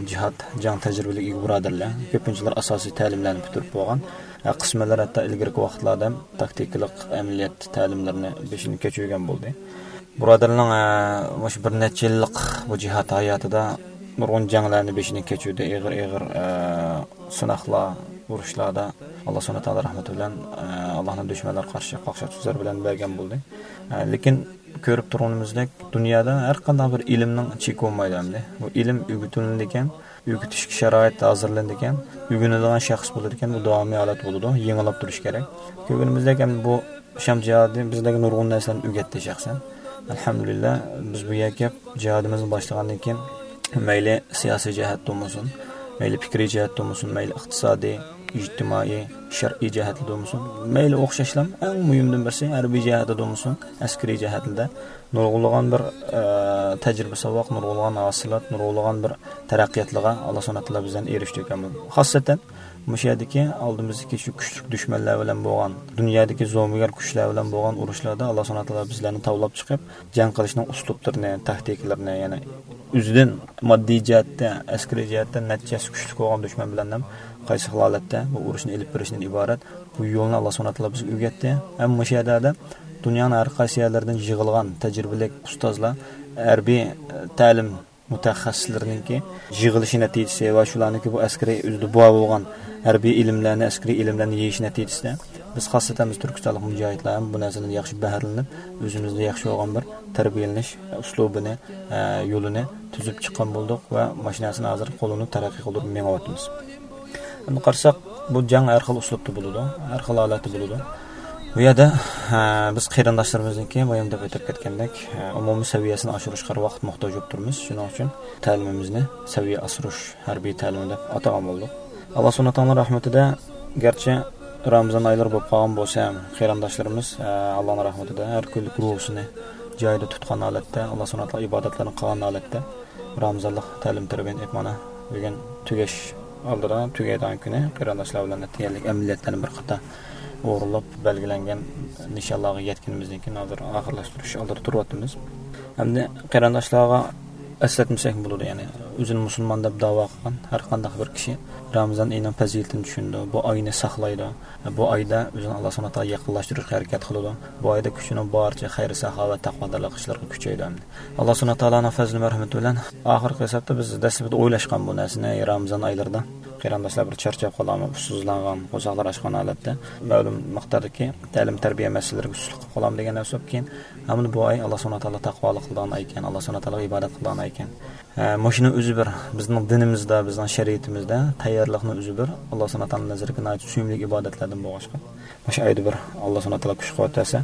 جىھاد، جەڭ تەجرىبىلىك ئىگە بۇرادەرلەر. كۆپىنچىلىرى ئاساسىي تەلىملەرنى پۈتتۈرۈپ بولغان. ئە، قىسمەنلەر ھەتتا ئىلگىرىكى ۋاقىتلاردا ھەم تاكتىكىلىق ئەمەلىيەت تەلىملىرىنى بېشىدىن كەچۈرگەن بولدى. بۇرادەرنىڭ، ئە، مۇشۇ بىر نەچچە يىللىق بۇ جىھاد ھاياتىدا نۇرغۇن جەڭلەرنى بېشىدىن كەچۈردى، ئېغىر، ئېغىر، ئە، سىناقلار، ئۇرۇشلاردا ئاللا سۇبھانەھۇ تائالا رەھمىتى بىلەن، ئە، ئاللانىڭ دۈشمەنلىرىگە قارشى قاقشاتقۇچ زەربىلەرنى بەرگەن بولدى. ئە، لېكىن كۆرۈپ تۇرغىنىمىزدەك، دۇنيادا ھەر قانداق بىر ئىلىمنىڭ چېكى بولمايدۇ ئەمدى. بۇ ئىلىم ئۆگىتىلىدىكەن، ئۆگىتىشكە شارائىت ھازىرلىنىدىكەن، ئۆگىنىدىغان شەخس بولىدىكەن، بۇ داۋامىي ھالەت بولىدۇ، يېڭىلاپ تۇرۇش كېرەك. كۆرگىنىمىزدەك، ئەمدى بۇ شام جىھادى بىزلەرگە نۇرغۇن نەرسىلەرنى ئۆگەتتى شەخسەن. ئەلھەمدۇلىللا، بىز بۇ يەرگە كېلىپ جىھادىمىزنى باشلىغاندىن كېيىن، مەيلى سىياسىي جەھەتتە بولمىسۇن، مەيلى پىكرىي جەھەتتە بولمىسۇن، مەيلى ئىقتىسادىي، ئىجتىمائىي، شەرئىي جەھەتتە بولمىسۇن، مەيلى ئوخشاشلا ئەڭ مۇھىمدىن بىرسى ھەربىي جەھەتتە بولمىسۇن، ئەسكىرىي جەھەتتە نۇرغۇنلىغان بىر، ئە، تەجرىبە ساۋاق، نۇرغۇنلىغان ھاسىلات، نۇرغۇنلىغان بىر تەرەققىياتلارغا ئاللا سۇبھانەھۇ ۋە تائالا بىزلەرنى ئېرىشتۈرگەن. خاسسەتەن مۇشۇ يەردىكى ئالدىمىزدىكى شۇ كۈچلۈك دۈشمەنلەر بىلەن بولغان، دۇنيادىكى زومىگەر كۈچلەر بىلەن بولغان ئۇرۇشلاردا ئاللا سۇبھانەھۇ ۋە تائالا بىزلەرنى تاۋلاپ چىقىپ، جەڭ قىلىشنىڭ ئۇسلۇبلىرىنى، تاكتىكىلىرىنى، يەنى ئۆزىدىن ماددىي جەھەتتە، ئەسكىرىي جەھەتتە نەچچە ھەسسە كۈچلۈك بولغان دۈشمەن بىلەن ھەم قايسى خىل ھالەتتە بۇ ئۇرۇشنى ئېلىپ بېرىشتىن ئىبارەت. بۇ يولنى ئاللا سۇبھانەھۇ ۋە تائالا بىزگە ئۆگەتتى. ھەم مۇشۇ يەردە دۇنيانىڭ ھەر قايسى يەرلىرىدىن يىغىلغان تەجرىبىلىك ئۇستازلار، ھەربىي، ئە، تەلىم مۇتەخەسسىسلىرىنىڭكى يىغىلىشى نەتىجىسى ۋە شۇلارنىڭكى بۇ ئەسكىرىي ئۆزىدە بار بولغان ھەربىي ئىلىملەرنى، ئەسكىرىي ئىلىملەرنى يېيىشى نەتىجىسىدە، بىز خاسسەتەن بىز تۈركىستانلىق مۇجاھىدلار ھەم بۇ نەرسىدىن ياخشى بەھرىلىنىپ، ئۆزىمىزدە ياخشى بولغان بىر تەربىيەلىنىش ئۇسلۇبىنى، ئە، يولىنى تۈزۈپ چىققان بولدۇق ۋە ماشىنىسىنى ھازىر قوللىنىپ تەرەققىي قىلدۇرۇپ مېڭىۋاتىمىز. ئەمدى قارىساق، بۇ جەڭ ھەر خىل ئۇسلۇبتا بولىدۇ، ھەر خىل ھالەتتە بولىدۇ. بۇ يەردە، ھە، بىز قېرىنداشلىرىمىزنىڭكى بايام دەپ ئۆتۈپ كەتكەندەك، ھە، ئومۇمىي سەۋىيەسىنى ئاشۇرۇشقا ھەر ۋاقىت موھتاج بولۇپ تۇرىمىز. شۇنىڭ ئۈچۈن تەلىمىمىزنى سەۋىيە ئاشۇرۇش ھەربىي تەلىمى دەپ ئاتىغان بولدۇق. ئاللا سۇبھانەھۇ ۋە تائالا رەھمىتىدە، گەرچە رامىزان ئايلىرى بولۇپ قالغان بولسا ھەم، قېرىنداشلىرىمىز، ھە، ئاللانىڭ رەھمىتىدە ھەر كۈنلۈك روزىسىنى جايىدا تۇتقان ھالەتتە، ئاللا سۇبھانەھۇ ۋە تائالا ئىبادەتلىرىنى قىلغان ھالەتتە، رامىزانلىق تەلىم تەربىيەنى ئېيتمانا بۈگۈن تۈگەش ئالدىدا، تۈگەيدىغان كۈنى قېرىنداشلار بىلەن ئەتىگەنلىك ئەمەلىيەتلەرنى بىر قاتار ئورۇنلاپ، بەلگىلەنگەن نىشانلارغا يەتكىنىمىزدىن كېيىن ھازىر ئاخىرلاشتۇرۇش ئالدىدا تۇرۇۋاتىمىز. ئەمدى قېرىنداشلارغا ئەسلەتمىسەك بولىدۇ، يەنى ئۆزىنى مۇسۇلمان دەپ داۋا قىلغان ھەر قانداق بىر كىشى رامىزان ئېيىنىڭ پەزىلىتىنى چۈشىنىدۇ، بۇ ئاينى ساقلايدۇ، بۇ ئايدا ئۆزىنى ئاللا سۇبھانەھۇ ۋە تائالا يېقىنلاشتۇرۇشقا ھەرىكەت قىلىدۇ، بۇ ئايدا كۈچىنىڭ بارىچە خەير ساخاۋەت تەقۋادارلىق ئىشلىرىغا كۈچەيدۇ. ئەمدى ئاللا سۇبھانەھۇ ۋە تائالانىڭ پەزلى مەرھىمىتى بىلەن ئاخىرقى ھېسابتا بىز دەسلىپىدە ئويلاشقان بۇ نەرسىنى، رامىزان ئايلىرىدا قېرىنداشلار بىر چارچاپ قالامۇ، ئۇسسۇزلانغان، قورساقلار ئاچقان ھالەتتە مەلۇم مىقداردىكى تەلىم تەربىيە مەسىلىلىرىگە سۇسلۇق قىلىپ قالامۇ دېگەن نەرسە بولۇپ، كېيىن ھەمدە بۇ ئاي ئاللا سۇبھانەھۇ ۋە تائالا تەقۋالىق قىلىدىغان ئاي ئىكەن، ئاللا سۇبھانەھۇ ۋە تائالاغا ئىبادەت قىلىدىغان ئاي ئىكەن. ھە، مۇشۇنىڭ ئۆزى بىر بىزنىڭ دىنىمىزدا، بىزنىڭ شەرىئىتىمىزدە تەييارلىقنىڭ ئۆزى بىر ئاللا سۇبھانەھۇ ۋە تائالا نەزىرىگە ناھايىتى سۆيۈملۈك ئىبادەتلەردىن بولغاچقا، مۇشۇ ئايدا بىر ئاللا سۇبھانەھۇ ۋە تائالا كۈچ قۇۋۋەت بەرسە،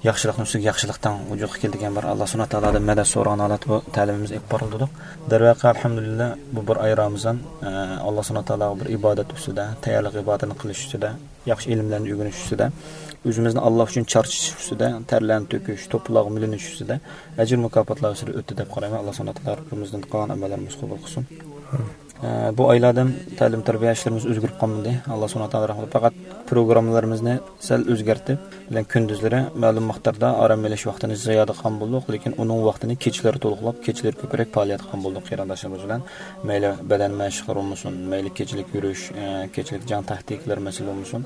ياخشىلىقنىڭ ئۈستىگە ياخشىلىق تەڭ ۋۇجۇدقا كېلىدىكەن، بىر ئاللا سۇبھانەھۇ ۋە تائالادىن مەدەت سورىغان ھالەتتە بۇ تەلىمىمىز ئېلىپ بارىلىدۇق. دەرۋەقە، ئەلھەمدۇلىللا، بۇ بىر ئاي رامىزان، ئە، ئاللا سۇبھانەھۇ ۋە تائالاغا بىر ئىبادەت ئۈستىدە، تەييارلىق ئىبادەتنى قىلىش ئۈستىدە، ياخشى ئىلىملەرنى ئۆگىنىش ئۈستىدە، ئۆزىمىزنى ئاللا ئۈچۈن چارچىتىش ئۈستىدە، تەرلەرنى تۆكۈش، توپىلاغا مىلىنىش ئۈستىدە ئەجىر مۇكاپاتلار ئۈستىدە ئۆتتى دەپ قارايمەن. ئاللا سۇبھانەھۇ ۋە تائالا ھەممىمىزدىن قىلغان ئەمەللىرىمىزنى قوبۇل قىلسۇن. ئە، بۇ ئايلاردا ھەم تەلىم تەربىيە ئىشلىرىمىز ئۆزگىرىپ قالمىدى. ئاللا سۇبھانەھۇ ۋە تائالا رەھمىتى، پەقەت پروگراممىلىرىمىزنى سەل ئۆزگەرتىپ، بىلەن كۈندۈزلىرى مەلۇم مىقداردا ئارام ئېلىش ۋاقتىنى زىيادە قىلغان بولدۇق، لېكىن ئۇنىڭ ۋاقتىنى كېچىلىرى تولۇقلاپ، كېچىلىرى كۆپرەك پائالىيەت قىلغان بولدۇق قېرىنداشلىرىمىز بىلەن. مەيلى بەدەن مەشىقلىرى بولمىسۇن، مەيلى كېچىلىك يۈرۈش، ئە، كېچىلىك جەڭ تاكتىكىلىرى مەسىلە بولمىسۇن،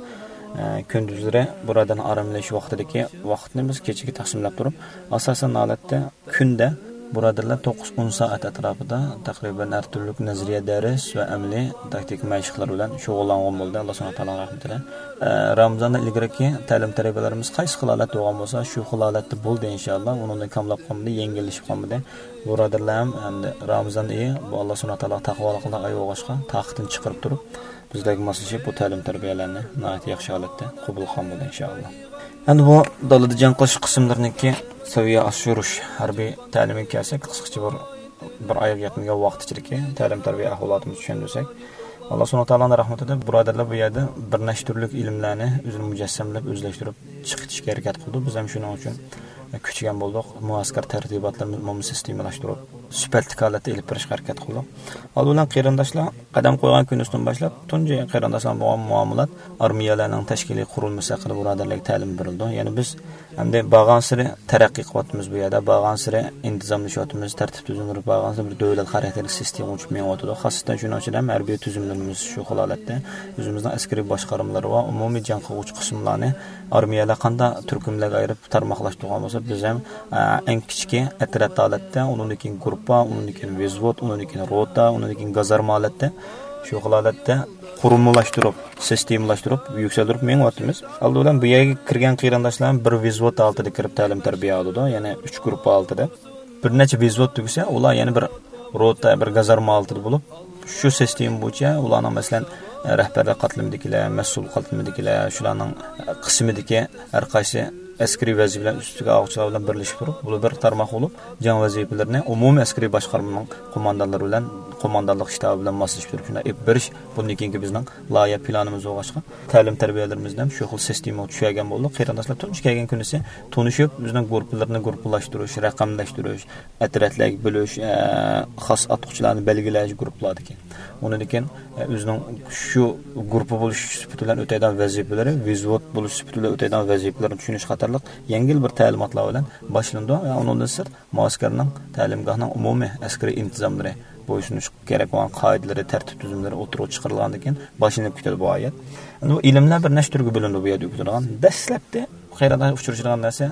ئە، كۈندۈزلىرى بۇرادەرنىڭ ئارام ئېلىش ۋاقتىدىكى ۋاقىتنى بىز كېچىگە تەقسىملەپ تۇرۇپ، ئاساسەن ھالەتتە كۈندە بۇرادەرلەر توققۇز ئون سائەت ئەتراپىدا تەقرىبەن ھەر تۈرلۈك نەزەرىيە دەرس ۋە ئەمەلىي تاكتىكا مەشىقلىرى بىلەن شۇغۇللانغان بولدى، ئاللا سۇبھانەھۇ ۋە تائالانىڭ رەھمىتى بىلەن. ئە، رامىزاندىن ئىلگىرىكى تەلىم تەربىيەلىرىمىز قايسى خىل ھالەتتە بولغان بولسا، شۇ خىل ھالەتتە بولدى، ئىنشائاللا. ئۇنىڭدىن كاملاپ قالمىدى، يەڭگىللىشىپ قالمىدى. بۇرادەرلەر ھەم ئەمدى رامىزان ئېيى بۇ ئاللا سۇبھانەھۇ ۋە تائالا تەقۋالىق قىلىدىغان ئاي بولغاچقا، تاقىتىنى چىقىرىپ تۇرۇپ، بىزلەرگە ماسلىشىپ، بۇ تەلىم تەربىيەلەرنى ناھايىتى ياخشى ھالەتتە قوبۇل قىلغان بولدى، ئىنشائاللا. ئەمدى بۇ دالىدا جەڭ قىلىش قىسىملىرىنىڭكى سەۋىيە ئاشۇرۇش ھەربىي تەلىمىگە كەلسەك، قىسقىچە بىر، بىر ئايغا يەتمىگەن ۋاقىت ئىچىدىكى تەلىم تەربىيە ئەھۋالاتىمىزنى چۈشەندۈرسەك، ئاللا سۇبھانەھۇ ۋە تائالانىڭ رەھمىتىدە بۇرادەرلەر بۇ يەردە بىر نەچچە تۈرلۈك ئىلىملەرنى ئۆزىنى مۇجەسسەملەپ، ئۆزلەشتۈرۈپ چىقىشقا ھەرىكەت قىلدى. بىز ھەم شۇنىڭ ئۈچۈن كۈچىگەن بولدۇق. مۇئەسكەر تەرتىباتلىرىمىزنى ئومۇمىي سىستېمىلاشتۇرۇپ، سۈپەتلىك ھالەتتە ئېلىپ بېرىشقا ھەرىكەت قىلدۇق. ئالدى بىلەن قېرىنداشلار قەدەم قويغان كۈنىسىدىن باشلاپ، تۇنجى قېرىنداشلار بولغان مۇئامىلات ئارمىيەلەرنىڭ تەشكىلىي قۇرۇلمىسى ھەققىدە بۇرادەرلەرگە تەلىم بېرىلىدۇ. يەنى بىز ئەمدى بارغانسېرى تەرەققىي قىلىۋاتىمىز بۇ يەردە، بارغانسېرى ئىنتىزاملىشىۋاتىمىز، تەرتىپ تۈزۈملىرى بارغانسېرى بىر دۆلەت خاراكتېرلىك سىستېما ئۇچۇپ مېڭىۋاتىدۇ. خاسسىتەن شۇنىڭ ئىچىدە ھەم ھەربىي تۈزۈملىرىمىز شۇ خىل ھالەتتە، ئۆزىمىزنىڭ ئەسكىرىي باشقارمىلىرى ۋە ئومۇمىي جەڭ قىلغۇچى قىسىملارنى ئارمىيەلەر قانداق تۈركۈملەرگە ئايرىپ تارماقلاشتۇرغان بولسا، بىز ھەم، ئە، ئەڭ كىچىكى ئەترەت ھالەتتە، ئۇنىڭدىن كېيىن گۇرۇپپا، ئۇنىڭدىن كېيىن ۋېزۋود، ئۇنىڭدىن كېيىن روتا، ئۇنىڭدىن كېيىن گازارما ھالەتتە، شۇ خىل ھالەتتە قۇرۇلمىلاشتۇرۇپ، سىستېمىلاشتۇرۇپ، يۈكسەلدۈرۈپ مېڭىۋاتىمىز. ئالدى بىلەن بۇ يەرگە كىرگەن قېرىنداشلار بىر ۋېزۋود ھالىتىدە كىرىپ تەلىم تەربىيە ئالىدۇ، يەنى ئۈچ گۇرۇپپا ھالىتىدە. بىر نەچچە ۋېزۋود تۈگىسە، ئۇلار يەنە بىر روتا، بىر گازارما ھالىتىدە بولۇپ، شۇ سىستېما بويىچە ئۇلارنىڭ، مەسىلەن، رەھبەرلىك قاتلىمىدىكىلەر، مەسئۇل قاتلىمىدىكىلەر، شۇلارنىڭ قىسمىدىكى ھەر قايسى ئەسكىرىي ۋەزىپىلەرنى ئۈستىگە ئالغۇچىلار بىلەن بىرلىشىپ تۇرۇپ، بۇلار بىر تارماق بولۇپ، جەڭ ۋەزىپىلىرىنى ئومۇمىي ئەسكىرىي باشقارمىنىڭ قوماندانلىرى بىلەن، قوماندانلىق شتابى بىلەن ماسلىشىپ تۇرۇپ، شۇنداق ئېلىپ بېرىش بۇندىن كېيىنكى بىزنىڭ لايىھە پىلانىمىز بولغاچقا، تەلىم تەربىيەلىرىمىزنى ھەم شۇ خىل سىستېمىغا چۈشۈرگەن بولدۇق. قېرىنداشلار تۇنجى كەلگەن كۈنىسى تونۇشۇپ، ئۆزىنىڭ گۇرۇپپىلىرىنى گۇرۇپپىلاشتۇرۇش، رەقەملەشتۈرۈش، ئەترەتلەرگە بۆلۈش، ئە، خاس ئاتقۇچىلارنى بەلگىلەش گۇرۇپپىلاردىكى. ئۇنىڭدىن كېيىن، ئە، ئۆزىنىڭ شۇ گۇرۇپپا بولۇش سۈپىتى بىلەن ئۆتەيدىغان ۋەزىپىلىرى، ۋېزۋود بولۇش سۈپىتى بىلەن ئۆتەيدىغان ۋەزىپىلىرىنى چۈشىنىش قاتارلىق يەڭگىل بىر تەلىماتلار بىلەن باشلىنىدۇ. ۋە ئۇنىڭدىن سىرت، مۇئەسكەرنىڭ، تەلىمگاھنىڭ ئومۇمىي ئەسكىرىي ئىنتىزاملىرى، بويسۇنۇش كېرەك بولغان قائىدىلىرى، تەرتىپ تۈزۈملىرى ئوتتۇرىغا چىقىرىلغاندىن كېيىن باشلىنىپ كېتىدۇ بۇ ھايات. ئەمدى بۇ ئىلىملەر بىر نەچچە تۈرگە بۆلۈنىدۇ بۇ يەردە ئۆگىتىدىغان. دەسلەپتە قېرىنداشلار ئۇچرىشىدىغان نەرسە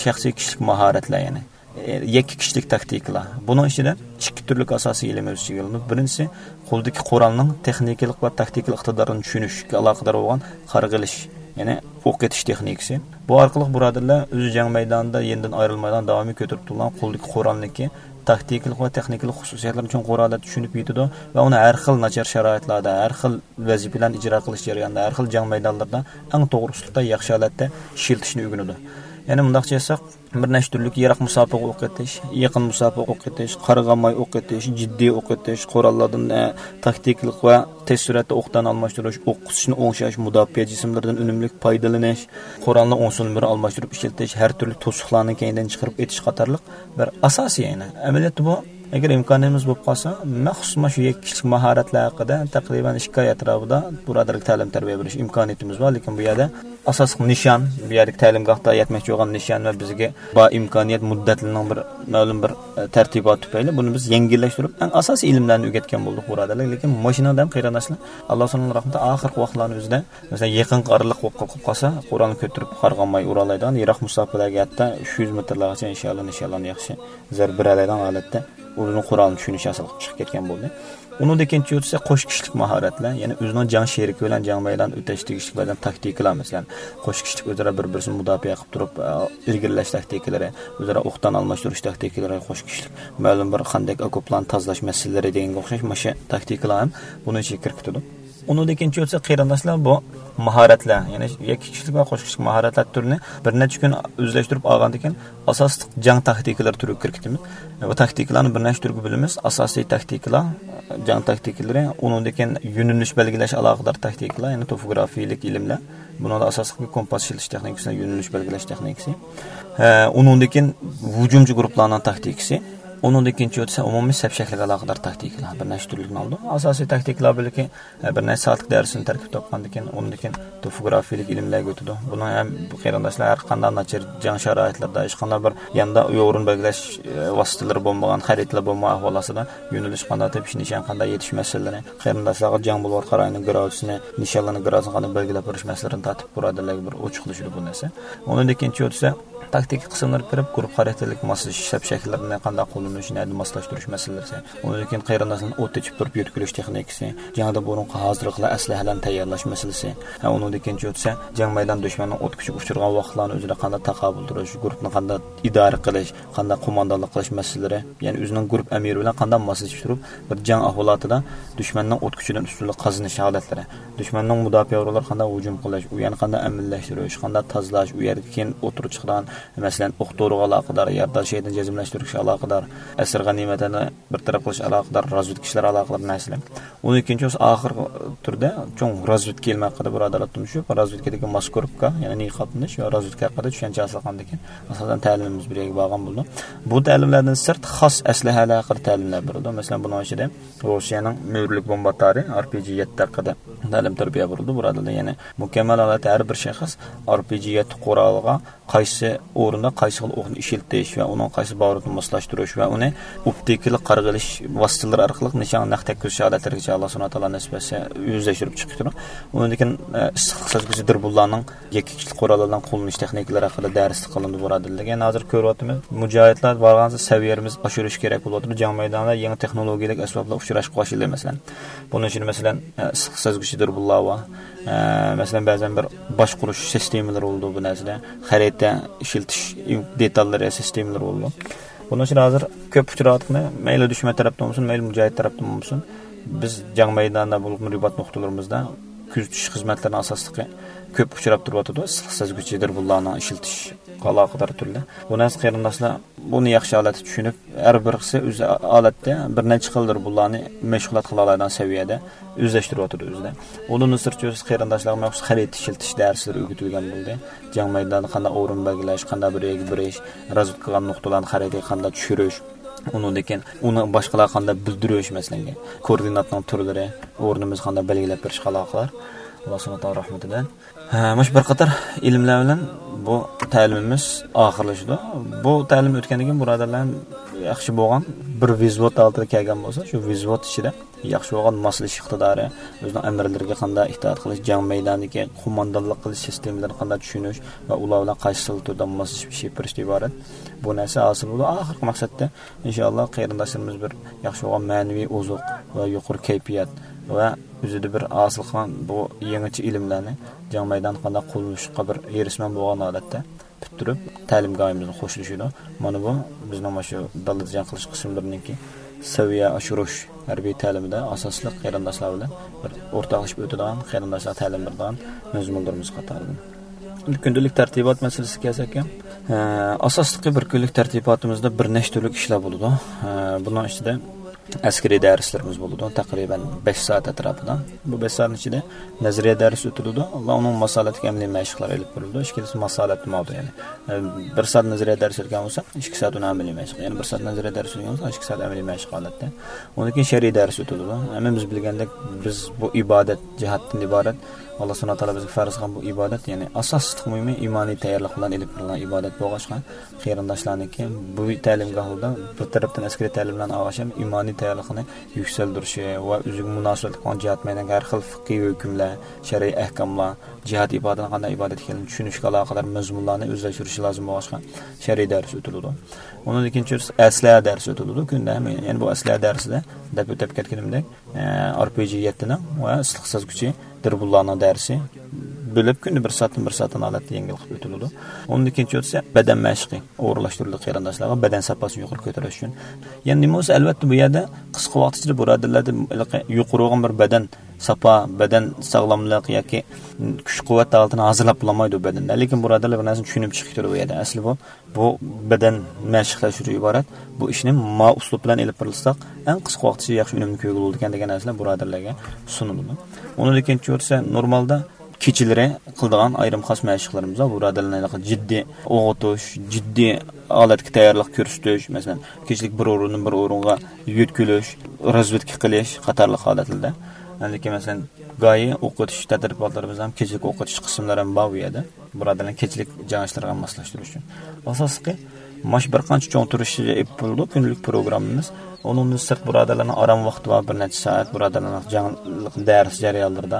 شەخسىي كىشىلىك ماھارەتلەر، يەنى، ئە، يەككە كىشىلىك تاكتىكىلار. بۇنىڭ ئىچىدە ئىككى تۈرلۈك ئاساسىي ئىلىم ئۆز ئىچىگە ئالىنىدۇ. بىرىنچىسى، قولدىكى قورالنىڭ تېخنىكىلىق ۋە تاكتىكىلىق ئىقتىدارىنى چۈشىنىشكە ئالاقىدار بولغان قارىغا ئېلىش، يەنى ئوق ئېتىش تېخنىكىسى. بۇ ئارقىلىق بۇرادەرلەر ئۆزى جەڭ مەيدانىدا يېنىدىن ئايرىلمايدىغان داۋامىي كۆتۈرۈپ تۇرۇلغان قولدىكى قورالنىڭكى تاكتىكىلىق ۋە تېخنىكىلىق خۇسۇسىيەتلىرىنى چوڭقۇر ھالەتتە چۈشىنىپ يېتىدۇ ۋە ئۇنى ھەر خىل ناچار شارائىتلاردا، ھەر خىل ۋەزىپىلەرنى ئىجرا قىلىش جەريانىدا، ھەر خىل جەڭ مەيدانلىرىدا ئەڭ توغرا ئۇسلۇبتا، ياخشى ھالەتتە ئىشلىتىشنى ئۆگىنىدۇ. يەنە مۇنداقچە ئېيتساق، بىر نەچچە تۈرلۈك يىراق مۇساپىگە ئوق ئېتىش، يېقىن مۇساپىگە ئوق ئېتىش، قارىغانماي ئوق ئېتىش، جىددىي ئوق ئېتىش، قوراللاردىن، ئە، تاكتىكىلىق ۋە تېز سۈرئەتتە ئوقدان ئالماشتۇرۇش، ئوق قىسىشنى ئوڭشاش، مۇداپىئە جىسىملىرىدىن ئۈنۈملۈك پايدىلىنىش، قورالنى ئوڭسۇن بىر ئالماشتۇرۇپ ئىشلىتىش، ھەر تۈرلۈك توسۇقلارنى كەينىدىن چىقىرىپ ئېتىش قاتارلىق بىر ئاساسىي، يەنى ئەمەلىيەتتە بۇ، ئەگەر ئىمكانىيىتىمىز بولۇپ قالسا، مەخسۇس مانا شۇ يەككە كىشىلىك ماھارەتلەر ھەققىدە تەقرىبەن ئىككى ئاي ئەتراپىدا بۇرادەرلىك تەلىم تەربىيە بېرىش ئىمكانىيىتىمىز بار، لېكىن بۇ يەردە ئاساسلىق نىشان، بۇ يەردىكى تەلىمگاھتا يەتمەكچى بولغان نىشان ۋە بىزگە بار ئىمكانىيەت مۇددەتلىرىنىڭ بىر مەلۇم بىر، ئە، تەرتىباتى تۈپەيلى بۇنى بىز يەڭگىللەشتۈرۈپ، ئەڭ ئاساسىي ئىلىملەرنى ئۆگەتكەن بولدۇق بۇرادەرلەر. لېكىن ماشىنىڭدا ھەم قېرىنداشلار، ئاللا سۇبھانەللا رەھمىتى، ئاخىرقى ۋاقىتلارنىڭ ئۆزىدە، مەسىلەن، يېقىنقى ئارىلىق بولۇپ قالسا، قورالنى كۆتۈرۈپ قارىغانماي ئۇرالايدىغان، يىراق مۇساپىلەرگە ھەتتا ئۈچ يۈز مېتىرلارغىچە ئىنشائاللا نىشانلارنى ياخشى زەربە بېرەلەيدىغان ھالەتتە ئۆزىنىڭ قورالىنى چۈشىنىش ھاسىل قىلىپ چىقىپ كەتكەن بولدى. ئۇنىڭدىن كېيىن چۈشۈرسە قوش كىشىلىك ماھارەتلەر، يەنى ئۆزىنىڭ جەڭ شېرىكى بىلەن جەڭ مەيدان ئۆتەش تېگىشلىك بەزەن تاكتىكىلار، مەسىلەن، قوش كىشىلىك ئۆزئارا بىر-بىرسىنى مۇداپىئە قىلىپ تۇرۇپ، ئە، ئىلگىرىلەش تاكتىكىلىرى، ئۆزئارا ئوقدان ئالماشتۇرۇش تاكتىكىلىرى، قوش كىشىلىك مەلۇم بىر خەندەك ئوكوپلارنى تازىلاش مەسىلىلىرى دېگەنگە ئوخشاش مۇشۇ تاكتىكىلار ھەم بۇنىڭ ئىچىگە كىرىپ كېتىدۇ. ئۇنىڭدىن كېيىن چۈشۈرسە قېرىنداشلار بۇ ماھارەتلەر، يەنى يەككە كىشىلىك ۋە قوش كىشىلىك ماھارەتلەر تۈرىنى بىر نەچچە كۈن ئۆزلەشتۈرۈپ ئالغاندىن كېيىن ئاساسلىق جەڭ تاكتىكىلىرى تۈرىگە كىرىپ كېتىمىز. بۇ تاكتىكىلارنى بىر نەچچە تۈرگە بۆلىمىز. ئاساسىي تاكتىكىلار، جەڭ تاكتىكىلىرى، ئۇنىڭدىن كېيىن يۆنىلىش بەلگىلەش ئالاقىدار تاكتىكىلار، يەنى توپوگرافىيىلىك ئىلىملەر. بۇنىڭدا ئاساسلىقى كومپاس ئىشلىتىش تېخنىكىسى، يۆنىلىش بەلگىلەش تېخنىكىسى. ھە، ئۇنىڭدىن كېيىن ھۇجۇمچى گۇرۇپپىلارنىڭ تاكتىكىسى. ئۇنىڭدىن كېيىن چۈشۈرسە ئومۇمىي سەپ شەكلىگە ئالاقىدار تاكتىكىلار. بىر نەچچە تۈرلۈكنى ئالىدۇ. ئاساسىي تاكتىكىلار بۆلىكى، ھە، بىر نەچچە سائەتلىك دەرسنى تەركىب تاپقاندىن كېيىن، ئۇنىڭدىن كېيىن توپوگرافىيىلىك ئىلىملەرگە ئۆتىدۇ. بۇنىڭ ھەم قېرىنداشلار ھەر قانداق ناچار جەڭ شارائىتلىرىدا، ھېچقانداق بىر ياندا يورۇن بەلگىلەش، ئە، ۋاسىتىلىرى بولمىغان، خەرىتىلەر بولمىغان ئەھۋال ئاستىدا يۆنىلىش قانداق تېپىش، نىشان قانداق يېتىش مەسىلىلىرى، قېرىنداشلارغا جەڭ بولۇۋاتقان رايوننىڭ گرادۇسىنى، نىشانلارنىڭ گرادۇسىنى قانداق بەلگىلەپ بېرىش مەسىلىلىرىنى تارتىپ، بۇرادەرلەرگە بىر ئوچۇقلىشىدۇ بۇ نەرسە. ئۇنىڭدىن كېيىن چۈشۈرسە، تاكتىكا قىسىملىرى كىرىپ، گۇرۇپپا خاراكتېرلىك ماسلىشىش سەپ شەكىللىرىنى قانداق قوللىنىش، نەدە ماسلاشتۇرۇش مەسىلىسى. ئۇنىڭدىن كېيىن قېرىنداشلارنى ئوت ئېچىپ تۇرۇپ يۆتكىلىش تېخنىكىسى، جەڭدىن بۇرۇنقى ھازىرلىقلار، ئەسلىھەلەرنى تەييارلاش مەسىلىسى. ھە، ئۇنىڭدىن كېيىن چۈشۈرسە، جەڭ مەيدانى دۈشمەننىڭ ئوت كۈچىگە ئۇچرىغان ۋاقىتلارنى ئۆزىدە قانداق تاقابىل تۇرۇش، گۇرۇپپىنى قانداق ئىدارە قىلىش، قانداق قوماندانلىق قىلىش مەسىلىلىرى، يەنى ئۆزىنىڭ گۇرۇپپا ئەمىرى بىلەن قانداق ماسلىشىپ تۇرۇپ، بىر جەڭ ئەھۋالاتىدا دۈشمەننىڭ ئوت كۈچىدىن ئۈستۈنلۈك قازىنىش ھالەتلىرى، دۈشمەننىڭ مۇداپىئە ئورۇنلىرىغا قانداق ھۇجۇم قىلىش، ئۇ يەرنى قانداق ئەمىنلەشتۈرۈش، قانداق تازىلاش، ئۇ يەردىكى كېيىن ئوتتۇرىغا چىقىدىغان، مەسىلەن، ئوق دورىغا ئالاقىدار، يارىدار شېھىتنى جەزملەشتۈرۈشكە ئالاقىدار، ئەسىر غەنىيمەتلەرنى بىر تەرەپ قىلىش ئالاقىدار، رازۋېدكا ئىشلىرى ئالاقىدار نەرسىلەر. ئۇنىڭدىن كېيىن چۈشۈرسە ئاخىرقى تۈردە چوڭ رازۋېدكا ئىلمى ھەققىدە بۇرادەرلەر تونۇشۇپ، رازۋېدكىدىكى ماسكىروپكا، يەنى نىقابلىنىش ۋە رازۋېدكا ھەققىدە چۈشەنچە ھاسىل قىلغاندىن كېيىن، ئاساسەن تەلىمىمىز بىر يەرگە بارغان بولىدۇ. بۇ تەلىملەردىن سىرت خاس ئەسلىھەلەر ھەققىدە تەلىملەر بېرىلىدۇ. مەسىلەن، بۇنىڭ ئىچىدە روسىيەنىڭ مۈرىلىك بومبا ئاتارى، ئار پى جى يەتتە ھەققىدە تەلىم تەربىيە بېرىلىدۇ. بۇرادەرلەر يەنى مۇكەممەل ھالەتتە ھەر بىر شەخس ئار پى جى يەتتە قورالىغا قايسى ئورۇندا قايسى خىل ئوقنى ئىشلىتىش ۋە ئۇنىڭ قايسى باروتىنى ماسلاشتۇرۇش ۋە ئۇنى ئوپتىكىلىق قارىغا ئېلىش ۋاسىتىلىرى ئارقىلىق نىشانغا نەق تەگكۈزۈش ھالەتلىرىگىچە ئاللا سۇبھانەھۇ ۋە تائالا نېسىپ ئەتسە ئۆزلەشتۈرۈپ چىقىپ كېتىدۇ. ئۇنىڭدىن كېيىن، ئە، ئىسسىقلىق سەزگۈسى دۇربۇنلارنىڭ يەككە كۈچلۈك قوراللارنىڭ قوللىنىش تېخنىكىلىرى ھەققىدە دەرسلىك قىلىنىدۇ بۇرادەرلەرگە. يەنە ھازىر كۆرۈۋاتىمىز، مۇجاھىدلار بارغانسېرى سەۋىيەمىز ئاشۇرۇش كېرەك بولۇۋاتىدۇ. جەڭ مەيدانىدا يېڭى تېخنولوگىيەلىك ئەسۋابلار ئۇچراشقا باشلىدى، مەسىلەن. بۇنىڭ ئىچىدە، مەسىلەن، ئە، ئىسسىق سەزگۈچى دۇربۇنلار بار. ئە، مەسىلەن، بەزەن بىر باشقۇرۇش سىستېمىلىرى بولىدۇ بۇ نەرسىدە. خەرىتە ئىشلىتىش دېتاللىرى، سىستېمىلىرى بولىدۇ. بۇنىڭ ئۈچۈن ھازىر كۆپ ئۇچراۋاتقىنى، مەيلى دۈشمەن تەرەپتىن بولسۇن، مەيلى مۇجاھىد تەرەپتىن بولسۇن، بىز جەڭ مەيدانىدا بولۇپمۇ رىبات نۇقتىلىرىمىزدا كۆزىتىش خىزمەتلىرىنىڭ ئاساسلىقى كۆپ ئۇچراپ تۇرۇۋاتىدۇ. ئىسسىق سەزگۈچى دۇربۇنلارنىڭ ئىشلىتىشكە ئالاقىدار تۈرلەر. بۇ نەرسە قېرىنداشلار بۇنى ياخشى ھالەتتە چۈشىنىپ، ھەر بىرسى ئۆز ھالەتتە بىر نەچچە خىلدۇر بۇلارنى مەشغۇلات قىلالايدىغان سەۋىيەدە ئۆزلەشتۈرۈۋاتىدۇ ئۆزىدە. ئۇنىڭدىن سىرت، چۆرىسى قېرىنداشلارغا مەخسۇس خەرىتە ئىشلىتىش دەرسلىرى ئۆگىتىلگەن بولدى. جەڭ مەيدانىدا قانداق ئورۇن بەلگىلەش، قانداق بىر يەرگە بېرىش، رازۋېدكا قىلغان نۇقتىلارنى خەرىتىگە قانداق چۈشۈرۈش، ئۇنىڭدىن كېيىن ئۇنى باشقىلارغا قانداق بىلدۈرۈش، مەسىلەن، كوئوردىناتنىڭ تۈرلىرى، ئورنىمىزنى قانداق بەلگىلەپ بېرىشقا ئالاقىدار. ئاللا سۇبھانەھۇ ۋە تائالا رەھمىتى بىلەن. ھە، مۇشۇ بىر قاتار ئىلىملەر بىلەن بۇ تەلىمىمىز ئاخىرلىشىدۇ. بۇ تەلىم ئۆتكەندىن كېيىن بۇرادەرلەر ياخشى بولغان بىر ۋىزۋوت ھالىتىگە كەلگەن بولسا، شۇ ۋىزۋوت ئىچىدە ياخشى بولغان ماسلىشىش ئىقتىدارى، ئۆزىنىڭ ئەمىرلىرىگە قانداق ئىتائەت قىلىش، جەڭ مەيدانىدىكى قوماندانلىق قىلىش سىستېمىلىرىنى قانداق چۈشىنىش ۋە ئۇلار بىلەن قايسى خىل تۈردە ماسلىشىپ ئىش ئېلىپ بېرىشتىن ئىبارەت. بۇ نەرسە ھاسىل بولىدۇ. ئاخىرقى مەقسەتتە، ئىنشائاللا، قېرىنداشلىرىمىز بىر ياخشى بولغان مەنىۋى ئوزۇق ۋە يۇقىرى كەيپىيات ۋە ئۆزىدە بىر ھاسىل قىلغان بۇ يېڭىچە ئىلىملەرنى جەڭ مەيدانىدا قانداق قوللىنىشقا بىر ھېرىسمەن بولغان ھالەتتە پۈتتۈرۈپ، تەلىمگاھىمىزغا خوشلىشىدۇ. مانا بۇ بىزنىڭ مۇشۇ دالىدا جەڭ قىلىش قىسىملىرىنىڭكى سەۋىيە ئاشۇرۇش ھەربىي تەلىمىدە ئاساسلىق قېرىنداشلار بىلەن بىر ئورتاقلىشىپ ئۆتىدىغان، قېرىنداشلارغا تەلىم بېرىدىغان مەزمۇنلىرىمىز قاتارىدىن. كۈندىلىك تەرتىبات مەسىلىسىگە كەلسەك، ئە، ئاساسلىقى بىر كۈنلۈك تەرتىباتىمىزدا بىر نەچچە تۈرلۈك ئىشلار بولىدۇ. ئە، بۇنىڭ ئىچىدە ئەسكىرىي دەرسلىرىمىز بولىدۇ، تەقرىبەن بەش سائەت ئەتراپىدا. بۇ بەش سائەتنىڭ ئىچىدە نەزەرىيە دەرس ئۆتۈلىدۇ ۋە ئۇنىڭ ماسلىرىدىكى ئەمەلىي مەشىقلەر ئېلىپ بېرىلىدۇ. ئىككىلىسى ماسلىرى ماۋۇ، يەنى، ئە، بىر سائەت نەزەرىيە دەرس ئۆتكەن بولسا، ئىككى سائەت ئۇنى ئەمەلىي مەشىق. يەنى بىر سائەت نەزەرىيە دەرس ئۆتكەن بولسا، ئىككى سائەت ئەمەلىي مەشىق ھالەتتە. ئۇنىڭدىن كېيىن شەرئىي دەرس ئۆتۈلىدۇ. ھەممىمىز بىلگەندەك، بىز بۇ ئىبادەت جىھادتىن ئىبارەت. ئاللا سۇبھانەھۇ ۋە تائالا بىزگە پەرز قىلغان بۇ ئىبادەت، يەنى ئاساسلىق مۇھىمى ئىمانىي تەييارلىق بىلەن ئېلىپ بېرىلغان ئىبادەت بولغاچقا، قېرىنداشلارنىڭكى بۇ تەلىمگاھلىرىدا بىر تەرەپتىن ئەسكىرىي تەلىملەرنى ئالغاچ ھەم ئىمانىي تەييارلىقىنى يۈكسەلدۈرۈشى ۋە ئۆزىگە مۇناسىۋەتلىك بولغان جىھاد مەيدانىدىكى ھەر خىل فىقھىي ھۆكۈملەر، شەرئىي ئەھكاملار، جىھاد ئىبادىتىنىڭ قانداق ئىبادەت ئىكەنلىكىنى چۈشىنىشكە ئالاقىدار مەزمۇنلارنى ئۆزلەشتۈرۈشى لازىم بولغاچقا، شەرئىي دەرس ئۆتۈلىدۇ. ئۇنىڭدىن كېيىن چۈشۈرسە ئەسلىھە دەرسى ئۆتۈلىدۇ كۈندە. يەنى بۇ ئەسلىھە دەرسىدە دەپ ئۆتۈپ كەتكىنىمدەك، ئە، ئار پى جى يەتتىنىڭ ۋە ئىسسىق سەزگۈچى دۇربۇنلارنىڭ دەرسى بۆلۈپ كۈندە بىر سائەتتىن بىر سائەتتىن ھالەتتە يەڭگىل قىلىپ ئۆتۈلىدۇ. ئۇنىڭدىن كېيىن چۈشۈرسە بەدەن مەشقى ئورۇنلاشتۇرۇلدى قېرىنداشلارغا بەدەن ساپاسىنى يۇقىرى كۆتۈرۈش ئۈچۈن. يەنى نېمە بولسا، ئەلۋەتتە، بۇ يەردە قىسقا ۋاقىت ئىچىدە بۇرادەرلەردە ھېلىقى يۇقىرى بولغان بىر بەدەن ساپا، بەدەن ساغلاملىق ياكى كۈچ قۇۋۋەت ھالىتىنى ھازىرلاپ بولالمايدۇ بەدەندە. لېكىن بۇرادەرلەر بىر نەرسىنى چۈشىنىپ چىقىپ كېتىدۇ بۇ يەردە. ئەسلى بۇ بۇ بەدەن مەشىقلەشتۈرۈش ئىبارەت. بۇ ئىشنى ما ئۇسلۇب بىلەن ئېلىپ بېرىلساق، ئەڭ قىسقا ۋاقىت ئىچىدە ياخشى ئۈنۈمنى كۆرگىلى بولىدىكەن دېگەن نەرسىلەر بۇرادەرلەرگە سۇنۇلىدۇ. ئۇنىڭدىن كېيىن چۈشۈرسە، نورمالدا كېچىلىرى قىلىدىغان ئايرىم خاس مەشىقلىرىمىز بار. بۇرادەرلەرنىڭ جىددىي ئوغۇتۇش، جىددىي ھالەتكە تەييارلىق كۆرسىتىش، مەسىلەن، كېچىلىك بىر ئورۇندىن بىر ئورۇنغا يۆتكىلىش، رازۋېدكا قىلىش قاتارلىق ھالەتلەردە. ئاندىن كېيىن، مەسىلەن، گاھى ئوق ئېتىش تەدرىباتلىرىمىز ھەم كېچىلىك ئوق ئېتىش قىسىملىرى ھەم بار بۇ يەردە. بۇرادەرلەرنى كېچىلىك جەڭ ئىشلىرىغا ماسلاشتۇرۇش ئۈچۈن. ئاساسلىقى، مانا شۇ بىر قانچە چوڭ تۈرۈشتە ئېلىپ بېرىلىدۇ كۈندىلىك پروگراممىمىز. ئۇنىڭدىن سىرت بۇرادەرلەرنىڭ ئارام ۋاقتى بار، بىر نەچچە سائەت بۇرادەرلەرنىڭ جەڭ دەرس جەريانلىرىدا،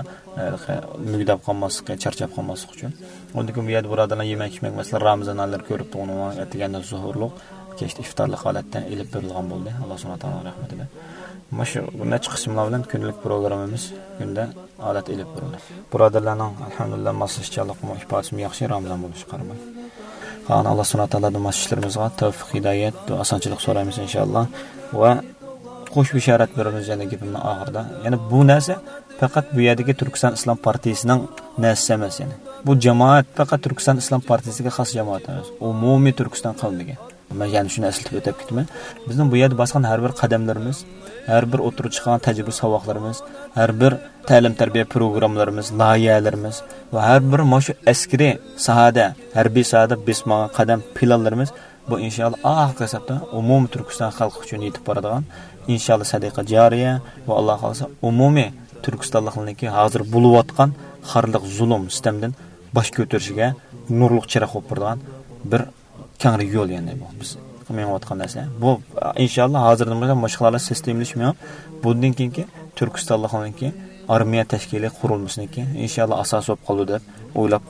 ھە، مۈگدەپ قالماسلىقى، چارچاپ قالماسلىقى ئۈچۈن. ئۇنىڭدىن كېيىن بۇ يەردە بۇرادەرلەر يېمەك ئىچمەك، مەسىلەن، رامىزان ئايلىرى كۆرۈپ تۇرغىنىڭلار، ئەتىگەندە سوھۇرلۇق، كەچتە ئىفتارلىق ھالەتتە ئېلىپ بېرىلغان بولدى، ئاللا سۇبھانەھۇ ۋە تائالانىڭ رەھمىتى بىلەن. مانا شۇ بىر نەچچە قىسىملار بىلەن كۈندىلىك پروگراممىمىز كۈندە ھالەت ئېلىپ بېرىلدى. بۇرادەرلەرنىڭ، ئەلھەمدۇلىللا، ماسلىشىشچانلىقىمۇ، ئىپادىسىمۇ ياخشى، رامىزان بولۇشىغا قارىماي. قالغان ئاللا سۇبھانەھۇ ۋە تائالادىن ماسلىشىشلىرىمىزغا تەۋفىق، ھىدايەت، دۇئا، ئاسانچىلىق سورايمىز، ئىنشائاللا. ۋە خۇش بېشارەت بېرىمىز يەنە گېپىمنىڭ ئاخىرىدا. يەنى بۇ نەرسە پەقەت بۇ يەردىكى تۈركىستان ئىسلام پارتىيىسىنىڭ نەرسىسى ئەمەس، يەنى. بۇ جامائەت پەقەت تۈركىستان ئىسلام پارتىيىسىگە خاس جامائەت ئەمەس. ئومۇمىي تۈركىستان قەۋمىگە. مەن يەنە شۇنى ئەسلىتىپ ئۆتۈپ كېتىمەن. بىزنىڭ بۇ يەردە باسقان ھەر بىر قەدەملىرىمىز، ھەر بىر ئوتتۇرىغا چىققان تەجرىبە ساۋاقلىرىمىز، ھەر بىر تەلىم-تەربىيە پروگراممىلىرىمىز، لايىھەلىرىمىز ۋە ھەر بىر مانا شۇ ئەسكىرىي ساھەدە، ھەربىي ساھەدە بېسىپ ماڭغان قەدەم پىلانلىرىمىز، بۇ ئىنشائاللا ئاخىرقى ھېسابتا ئومۇمىي تۈركىستان خەلقى ئۈچۈن يېتىپ بارىدىغان، ئىنشائاللا سەدىقە جارىيە ۋە ئاللا خالىسا ئومۇمىي تۈركىستانلىقلارنىڭكى ھازىر بولۇۋاتقان خارلىق، زۇلۇم، سىتەمدىن باش كۆتۈرۈشىگە نۇرلۇق چىراغ بولۇپ بېرىدىغان بىر كەڭرى يول، يەنى بۇ بىز مېڭىۋاتقان نەرسە. بۇ، ئىنشاللا، ھازىردىن باشلاپ مۇشۇ ئىقتىسادلىق سىستېمىلىشىپ مېڭىپ، بۇندىن كېيىنكى تۈركىستانلىقنىڭكى ئارمىيە تەشكىلى قۇرۇلمىسىنىڭكى، ئىنشاللا، ئاساسى بولۇپ قالىدۇ دەپ ئويلاپ،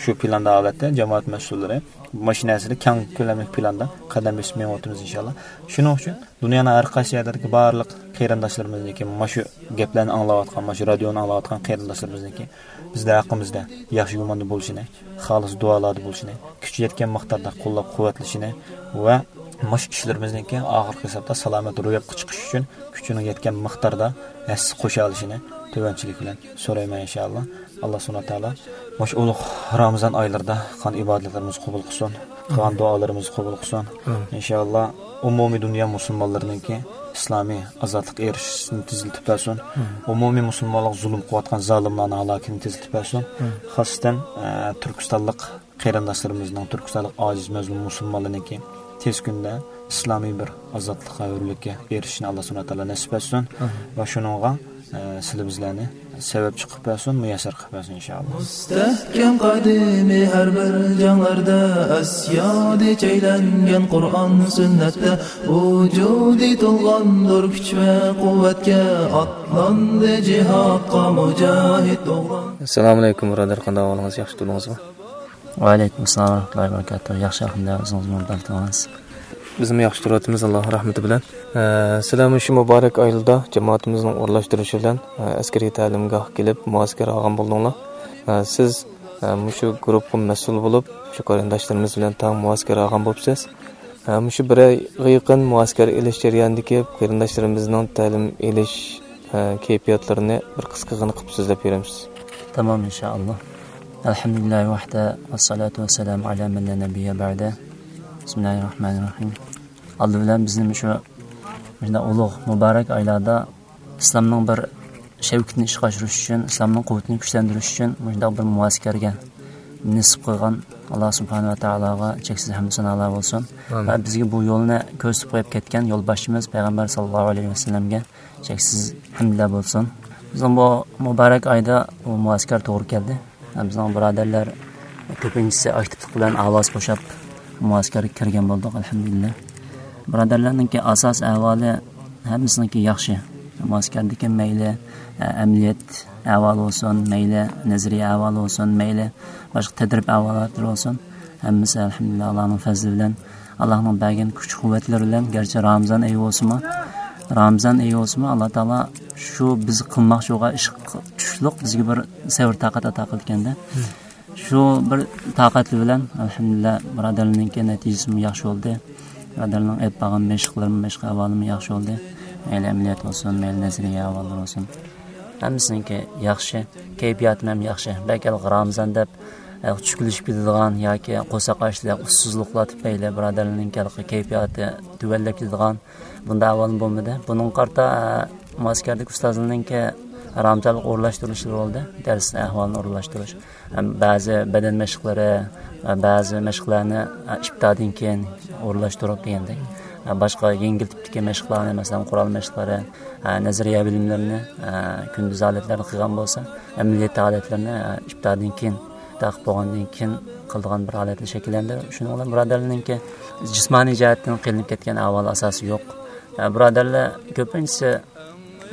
شۇ پىلاندا ھالەتتە جامائەت مەسئۇللىرى مۇشۇ نەرسىدە كەڭ كۆلەملىك پىلاندا قەدەم بېسىپ مېڭىۋاتىمىز، ئىنشاللا. شۇنىڭ ئۈچۈن دۇنيانىڭ ھەر قايسى يەرلىرىدىكى بارلىق قېرىنداشلىرىمىزنىڭكى، مۇشۇ گەپلەرنى ئاڭلاۋاتقان، مۇشۇ رادىيونى ئاڭلاۋاتقان قېرىنداشلىرىمىزنىڭكى بىزدە ھەققىمىزدە ياخشى گۇماندا بولۇشىنى، خالىس دۇئالاردا بولۇشىنى، كۈچى يەتكەن مىقداردا قوللاپ قۇۋۋەتلىشىنى ۋە مۇشۇ ئىشلىرىمىزنىڭكى ئاخىرقى ھېسابتا سالامەت روياپقا چىقىش ئۈچۈن كۈچىنىڭ يەتكەن مىقداردا ھەسسە قوشالىشىنى تۆۋەنچىلىك بىلەن سورايمەن، ئىنشائاللا. ئاللا سۇبھانەھۇ ۋە تائالا مۇشۇ ئۇلۇغ رامىزان ئايلىرىدا قىلغان ئىبادەتلىرىمىزنى قوبۇل قىلسۇن، قىلغان دۇئالىرىمىزنى قوبۇل قىلسۇن. ئىنشائاللا، ئومۇمىي دۇنيا مۇسۇلمانلىرىنىڭكى ئىسلامىي ئازادلىققا ئېرىشىشىنى تېزلىتىپ بەرسۇن. ئومۇمىي مۇسۇلمانلارغا زۇلۇم قىلىۋاتقان زالىملارنىڭ ھالاكىتىنى تېزلىتىپ بەرسۇن. خاسسەتەن، ئە، تۈركىستانلىق قېرىنداشلىرىمىزنىڭ، تۈركىستانلىق ئاجىز مەزلۇم مۇسۇلمانلارنىڭكى تېز كۈندە ئىسلامىي بىر ئازادلىققا، ھۆرلۈككە ئېرىشىشىنى ئاللا سۇبھانەھۇ ۋە تائالا نەسىپ ئەتسۇن. ۋە شۇنىڭغا، ئە، سىلى بىزلەرنى سەۋەب چىقىپ بەرسۇن، مۇيەسسەر قىلىپ بەرسۇن، ئىنشائاللا. مۇستەھكەم قەدىمى ھەر بىر جەڭلەردە، ئەسيادى چەيلەنگەن قۇرئان سۈننەتتە، ۋۇجۇدى تولغاندۇر كۈچ ۋە قۇۋۋەتكە، ئاتلاندى جىھادقا مۇجاھىد ئوغلان. ئەسسالامۇ ئەلەيكۇم، بۇرادەر، قانداق ئەھۋالىڭىز؟ ياخشى تۇردىڭىزمۇ؟ ۋەئەلەيكۇم ئەسسالام ۋەرەھمەتۇللاھى ۋەبەرىكاتۇھ. ياخشى، ئەلھەمدۇلىللا، ئۆزىڭىزمۇ قانداق تۇردىڭىز؟ بىزمۇ ياخشى تۇرۇۋاتىمىز، ئاللا رەھمىتى بىلەن. ئە، سىلەر مۇشۇ مۇبارەك ئايلىدا جامائىتىمىزنىڭ ئورۇنلاشتۇرۇشى بىلەن، ئە، ئەسكىرىي تەلىمگاھقا كېلىپ مۇئەسكەر ئالغان بولدۇڭلار. ئە، سىز، ئە، مۇشۇ گۇرۇپپىغا مەسئۇل بولۇپ، شۇ قېرىنداشلىرىمىز بىلەن تەڭ مۇئەسكەر ئالغان بوپسىز. ئە، مۇشۇ بىر ئايغا يېقىن مۇئەسكەر ئېلىش جەريانىدىكى قېرىنداشلىرىمىزنىڭ تەلىم ئېلىش، ئە، كەيپىياتلىرىنى بىر قىسقىغىنە قىلىپ سۆزلەپ بېرەمسىز؟ تامام، ئىنشائاللا. ئەلھەمدۇلىللاھى ۋەھدە، ۋەسسالاتۇ ۋەسسالامۇ ئەلا مەن لا نەبىييە بەئدە. بىسمىللاھىر راھمانىر راھىم. ئالدى بىلەن بىزنى مۇشۇ، مۇشۇنداق ئۇلۇغ، مۇبارەك ئايلاردا ئىسلامنىڭ بىر شەۋكىتىنى ئىشقا ئاشۇرۇش ئۈچۈن، ئىسلامنىڭ قۇۋۋىتىنى كۈچلەندۈرۈش ئۈچۈن مۇشۇنداق بىر مۇئەسكەرگە نېسىپ قىلغان ئاللا سۇبھانەھۇ ۋە تائالاغا چەكسىز ھەمدۇ سانالار بولسۇن. ئامىن. ۋە بىزگە بۇ يولنى كۆرسىتىپ قويۇپ كەتكەن يولباشچىمىز پەيغەمبەر ساللاللاھۇ ئەلەيھى ۋەسەللەمگە چەكسىز ھەمدۇلار بولسۇن. بىزنىڭ بۇ مۇبارەك ئايدا بۇ مۇئەسكەر توغرا كەلدى. بىزنىڭ بۇرادەرلەر كۆپىنچىسى ئاكتىپلىق بىلەن ئاۋاز قوشاپ مۇئەسكەرگە كىرگەن بولدۇق، ئەلھەمدۇلىللا. بۇرادەرلەرنىڭكى ئاساسىي ئەھۋالى ھەممىسىنىڭكى ياخشى. مۇئەسكەردىكى مەيلى، ئە، ئەمەلىيەت ئەھۋالى بولسۇن، مەيلى نەزەرىيە ئەھۋالى بولسۇن، مەيلى باشقا تەدرىب ئەھۋالاتلىرى بولسۇن، ھەممىسى ئەلھەمدۇلىللا ئاللانىڭ پەزلى بىلەن، ئاللانىڭ بەرگەن كۈچ قۇۋۋەتلىرى بىلەن، گەرچە رامىزان ئېيى بولسىمۇ، رامىزان ئېيى بولسىمۇ، ئاللا تائالا شۇ بىز قىلماقچى بولغان ئىشقا تۇشلۇق بىزگە بىر سەۋر تاقەت ئاتا قىلىدىكەندە. شۇ بىر تاقەتلىك بىلەن، ئەلھەمدۇلىللا، بۇرادەرلەرنىڭكى نەتىجىسىمۇ ياخشى بولدى. بۇرادەرلەرنىڭ ئېلىپ بارغان مەشىقلىرىمۇ، مەشىق ئەھۋالىمۇ ياخشى بولدى. مەيلى ئەمەلىيەت بولسۇن، مەيلى نەزەرىيە ئەھۋاللىرى بولسۇن. ھەممىسىنىڭكى ياخشى، كەيپىياتىمۇ ھەم ياخشى. بەلكى ھېلىقى رامىزان دەپ، ئە، چۈشكۈنلىشىپ كېتىدىغان ياكى قورساق ئاچلىق، ئۇسسۇزلۇقلار تۈپەيلى بۇرادەرلەرنىڭكى ھېلىقى كەيپىياتى تۆۋەنلەپ كېتىدىغان بۇنداق ئەھۋالمۇ بولمىدى. بۇنىڭغا قارىتا، ئە، مۇئەسكەردىكى ئۇستازلارنىڭكى رامىزانلىق ئورۇنلاشتۇرۇشلىرى بولدى. دەرس ئەھۋالىنى ئورۇنلاشتۇرۇش. ھەم بەزى بەدەن مەشىقلىرى، ۋە بەزى مەشىقلەرنى، ئە، ئىپتادىن كېيىن ئورۇنلاشتۇرۇپ دېگەندەك. ۋە باشقا يەڭگىل تىپتىكى مەشىقلەرنى، مەسىلەن، قورال مەشىقلىرى، ئە، نەزەرىيە بىلىملىرىنى، ئە، كۈندۈز ھالەتلەردە قىلغان بولسا، ئەمەلىيەت ھالەتلىرىنى، ئە، ئىپتادىن كېيىن، تاقىپ بولغاندىن كېيىن قىلىدىغان بىر ھالەتنى شەكىللەندۈرۈپ، شۇنىڭ بىلەن بۇرادەرلەرنىڭكى جىسمانىي جەھەتتىن قىينىلىپ كەتكەن ئەھۋال ئاساسى يوق. ئە، بۇرادەرلەر كۆپىنچىسى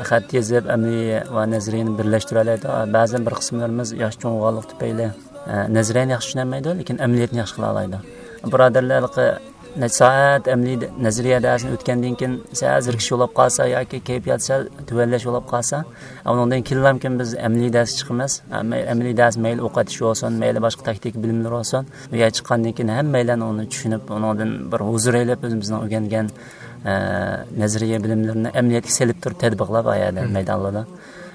خەت يېزىپ، ئەمەلىي ۋە نەزەرىيەنى بىرلەشتۈرەلەيدۇ. بەزەن بىر قىسىملىرىمىز ياش چوڭ بولغانلىقى تۈپەيلى، ئە، نەزەرىيەنى ياخشى چۈشىنەلمەيدۇ، لېكىن ئەمەلىيەتنى ياخشى قىلالايدۇ. بۇرادەرلەر ھېلىقى نەچچە سائەت ئەمەلىي دە-، نەزەرىيە دەرسىنى ئۆتكەندىن كېيىن سەل زېرىكىش بولۇپ قالسا ياكى كەيپىيات سەل تۆۋەنلەش بولۇپ قالسا، ئۇنىڭدىن كېيىنلامكىن بىز ئەمەلىي دەرسكە چىقىمىز. ئە، مەي-، ئەمەلىي دەرس مەيلى ئوق ئېتىش بولسۇن، مەيلى باشقا تاكتىكا بىلىملىرى بولسۇن، بۇ يەرگە چىققاندىن كېيىن ھەممەيلەن ئۇنى چۈشىنىپ، ئۇنىڭدىن بىر ھۇزۇر ئېلىپ، ئۆزىمىزنىڭ ئۆگەنگەن ئە، نەزەرىيە بىلىملىرىنى ئەمەلىيەتكە سېلىپ تۇرۇپ تەتبىقلاپ، ئايەدە مەيدانلاردا.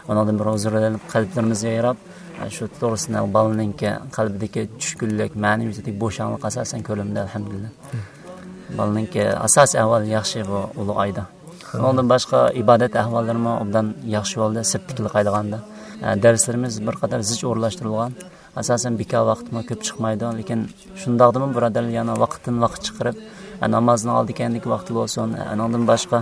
ئۇنىڭدىن بىر ھۇزۇر ئېلىپ، قەلبلىرىمىز يايراپ، ئە، شۇ توغرىسىدا بالىنىڭكى قەلبىدىكى چۈشكۈنلۈك، مەنىۋىيىتىدىكى بوشاڭلىق ئاساسەن كۆرۈلمىدى، ئەلھەمدۇلىللا. بالىنىڭكى ئاساسىي ئەھۋالى ياخشى بۇ ئۇلۇغ ئايدا. ئۇنىڭدىن باشقا ئىبادەت ئەھۋاللىرىمۇ ئوبدان ياخشى بولدى، سىرتتىكىلەرگە قارىغاندا. ئە، دەرسلىرىمىز بىر قەدەر زىچ ئورۇنلاشتۇرۇلغان. ئاساسەن بىكار ۋاقىتمۇ كۆپ چىقمايدۇ، لېكىن شۇنداقتىمۇ بۇرادەرلەر يەنە ۋاقىتتىن ۋاقىت چىقىرىپ، ئە، نامازنىڭ ئالدى كەينىدىكى ۋاقتى بولسۇن، ئە، ئۇنىڭدىن باشقا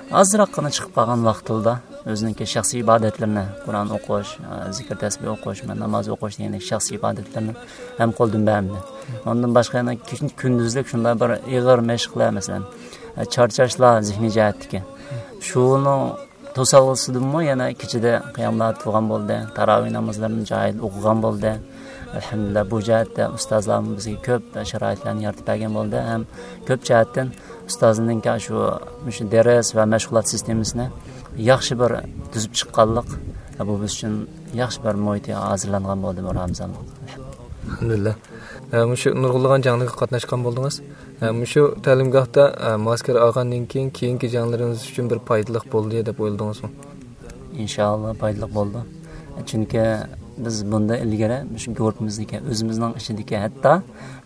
ئازراققىنا چىقىپ قالغان ۋاقتىدا ئۆزىنىڭكى شەخسىي ئىبادەتلىرىنى، قۇرئان ئوقۇش، زىكىر تەسبىھ ئوقۇش، ناماز ئوقۇش دېگەندەك شەخسىي ئىبادەتلىرىنى ھەم قولدىن بەرمىدى. ئۇنىڭدىن باشقا يەنە كۈندۈزلۈك شۇنداق بىر ئېغىر مەشىقلەر، مەسىلەن، چارچاشلار زېھنىي جەھەتتىكى. شۇنىڭ توسالغۇسىدىنمۇ يەنە كېچىدە قىياملار تۇرغان بولدى، تاراۋىھ نامازلىرىنى جايىدا ئوقۇغان بولدى. ئەلھەمدۇلىللا، بۇ جەھەتتە ئۇستازلارمۇ بىزگە كۆپ شارائىتلارنى يارىتىپ بەرگەن بولدى ھەم كۆپ جەھەتتىن ئۇستازنىڭكى شۇ، مۇشۇ دەرس ۋە مەشغۇلات سىستېمىسىنى ياخشى بىر تۈزۈپ چىققانلىق، بۇ بىز ئۈچۈن ياخشى بىر مۇھىت ھازىرلانغان بولدى بۇ رامىزانلىق. ئەلھەمدۇلىللا. ئە، مۇشۇ نۇرغۇنلىغان جەڭلەرگە قاتناشقان بولدىڭىز. ئە، مۇشۇ تەلىمگاھتا، ئە، مۇئەسكەر ئالغاندىن كېيىن، كېيىنكى جەڭلىرىڭىز ئۈچۈن بىر پايدىلىق بولدى دەپ ئويلىدىڭىزمۇ؟ ئىنشائاللا پايدىلىق بولدى. چۈنكى بىز بۇندىن ئىلگىرى مۇشۇ گۇرۇپپىمىزدىكى، ئۆزىمىزنىڭ ئىچىدىكى، ھەتتا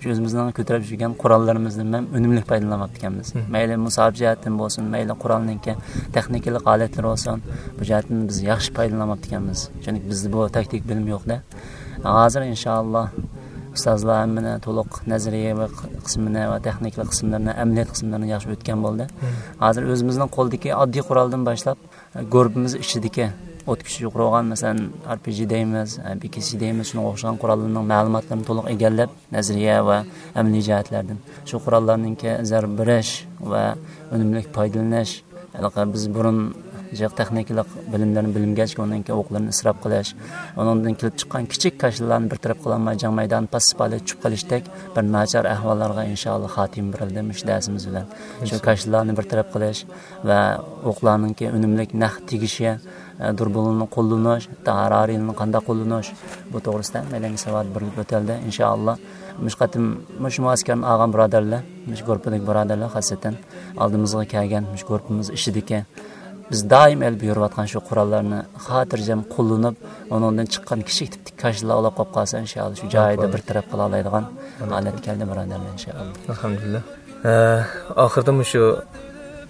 شۇ ئۆزىمىزنىڭ كۆتۈرۈپ يۈرگەن قوراللىرىمىزدىن ھەم ئۈنۈملۈك پايدىلانماپتىكەنمىز. مەيلى مۇساپە جەھەتتىن بولسۇن، مەيلى قورالنىڭكى تېخنىكىلىق ھالەتلىرى بولسۇن، بۇ جەھەتتىن بىز ياخشى پايدىلانماپتىكەنمىز. چۈنكى بىزدە بۇ تاكتىك بىلىم يوق-دە. ھازىر ئىنشائاللا ئۇستازلار ھەممىنى تولۇق نەزەرىيە قىسمىنى ۋە تېخنىكىلىق قىسىملىرىنى، ئەمەلىيەت قىسىملىرىنى ياخشى ئۆتكەن بولدى. ھازىر ئۆزىمىزنىڭ قولىدىكى ئاددىي قورالدىن باشلاپ، گۇرۇپپىمىز ئىچىدىكى ئوت كۈچى يۇقىرى بولغان، مەسىلەن، ئار پى جى دەيمىز، بى كې سى دەيمىز، شۇنىڭغا ئوخشىغان قوراللارنىڭ مەلۇماتلىرىنى تولۇق ئىگىلەپ، نەزەرىيە ۋە ئەمەلىي جەھەتلەردىن شۇ قوراللارنىڭكى زەربە بېرىش ۋە ئۈنۈملۈك پايدىلىنىش، ھېلىقى بىز بۇرۇن جىق تېخنىكىلىق بىلىملەرنى بىلمىگەچكە، ئۇنىڭكى ئوقلىرىنى ئىسراپ قىلىش، ئۇنىڭدىن كېلىپ چىققان كىچىك كاشىلىلارنى بىر تەرەپ قىلالماي، جەڭ مەيدانى پاسسىپ ھالەتتە چۈشۈپ قېلىشتەك بىر ناچار ئەھۋاللارغا ئىنشائاللا خاتىمە بېرىلدى مۇشۇ دەرسىمىز بىلەن. شۇ كاشىلىلارنى بىر تەرەپ قىلىش ۋە ئوقلارنىڭكى ئۈنۈملىك نەق تېگىشى، ئە، دۇربۇننى قوللىنىش، ھەتتا ھارارىنى قانداق قوللىنىش، بۇ توغرىسىدا ھەممەيلەنگە ساۋات بېرىلىپ ئۆتەلدى. ئىنشائاللا، مۇشۇ قېتىم مۇشۇ مۇئەسكەرنى ئالغان بۇرادەرلەر، مۇشۇ گۇرۇپپىدىكى بۇرادەرلەر خاسسەتەن ئالدىمىزغا كەلگەن، مۇشۇ گۇرۇپپىمىز ئىچىدىكى، بىز دائىم ئېلىپ يۈرۈۋاتقان شۇ قوراللارنى خاتىرجەم قوللىنىپ، ئۇنىڭدىن چىققان كىچىك تىپتىكى كاشىلار ئۇلاپ قاپ قالسا، ئىنشائاللا، شۇ جايىدا بىر تەرەپ قىلالايدىغان ھالەتكە كەلدى، بۇرادەرلەر، ئىنشائاللا. ئەلھەمدۇلىللا. ئە، ئاخىرىدا مۇشۇ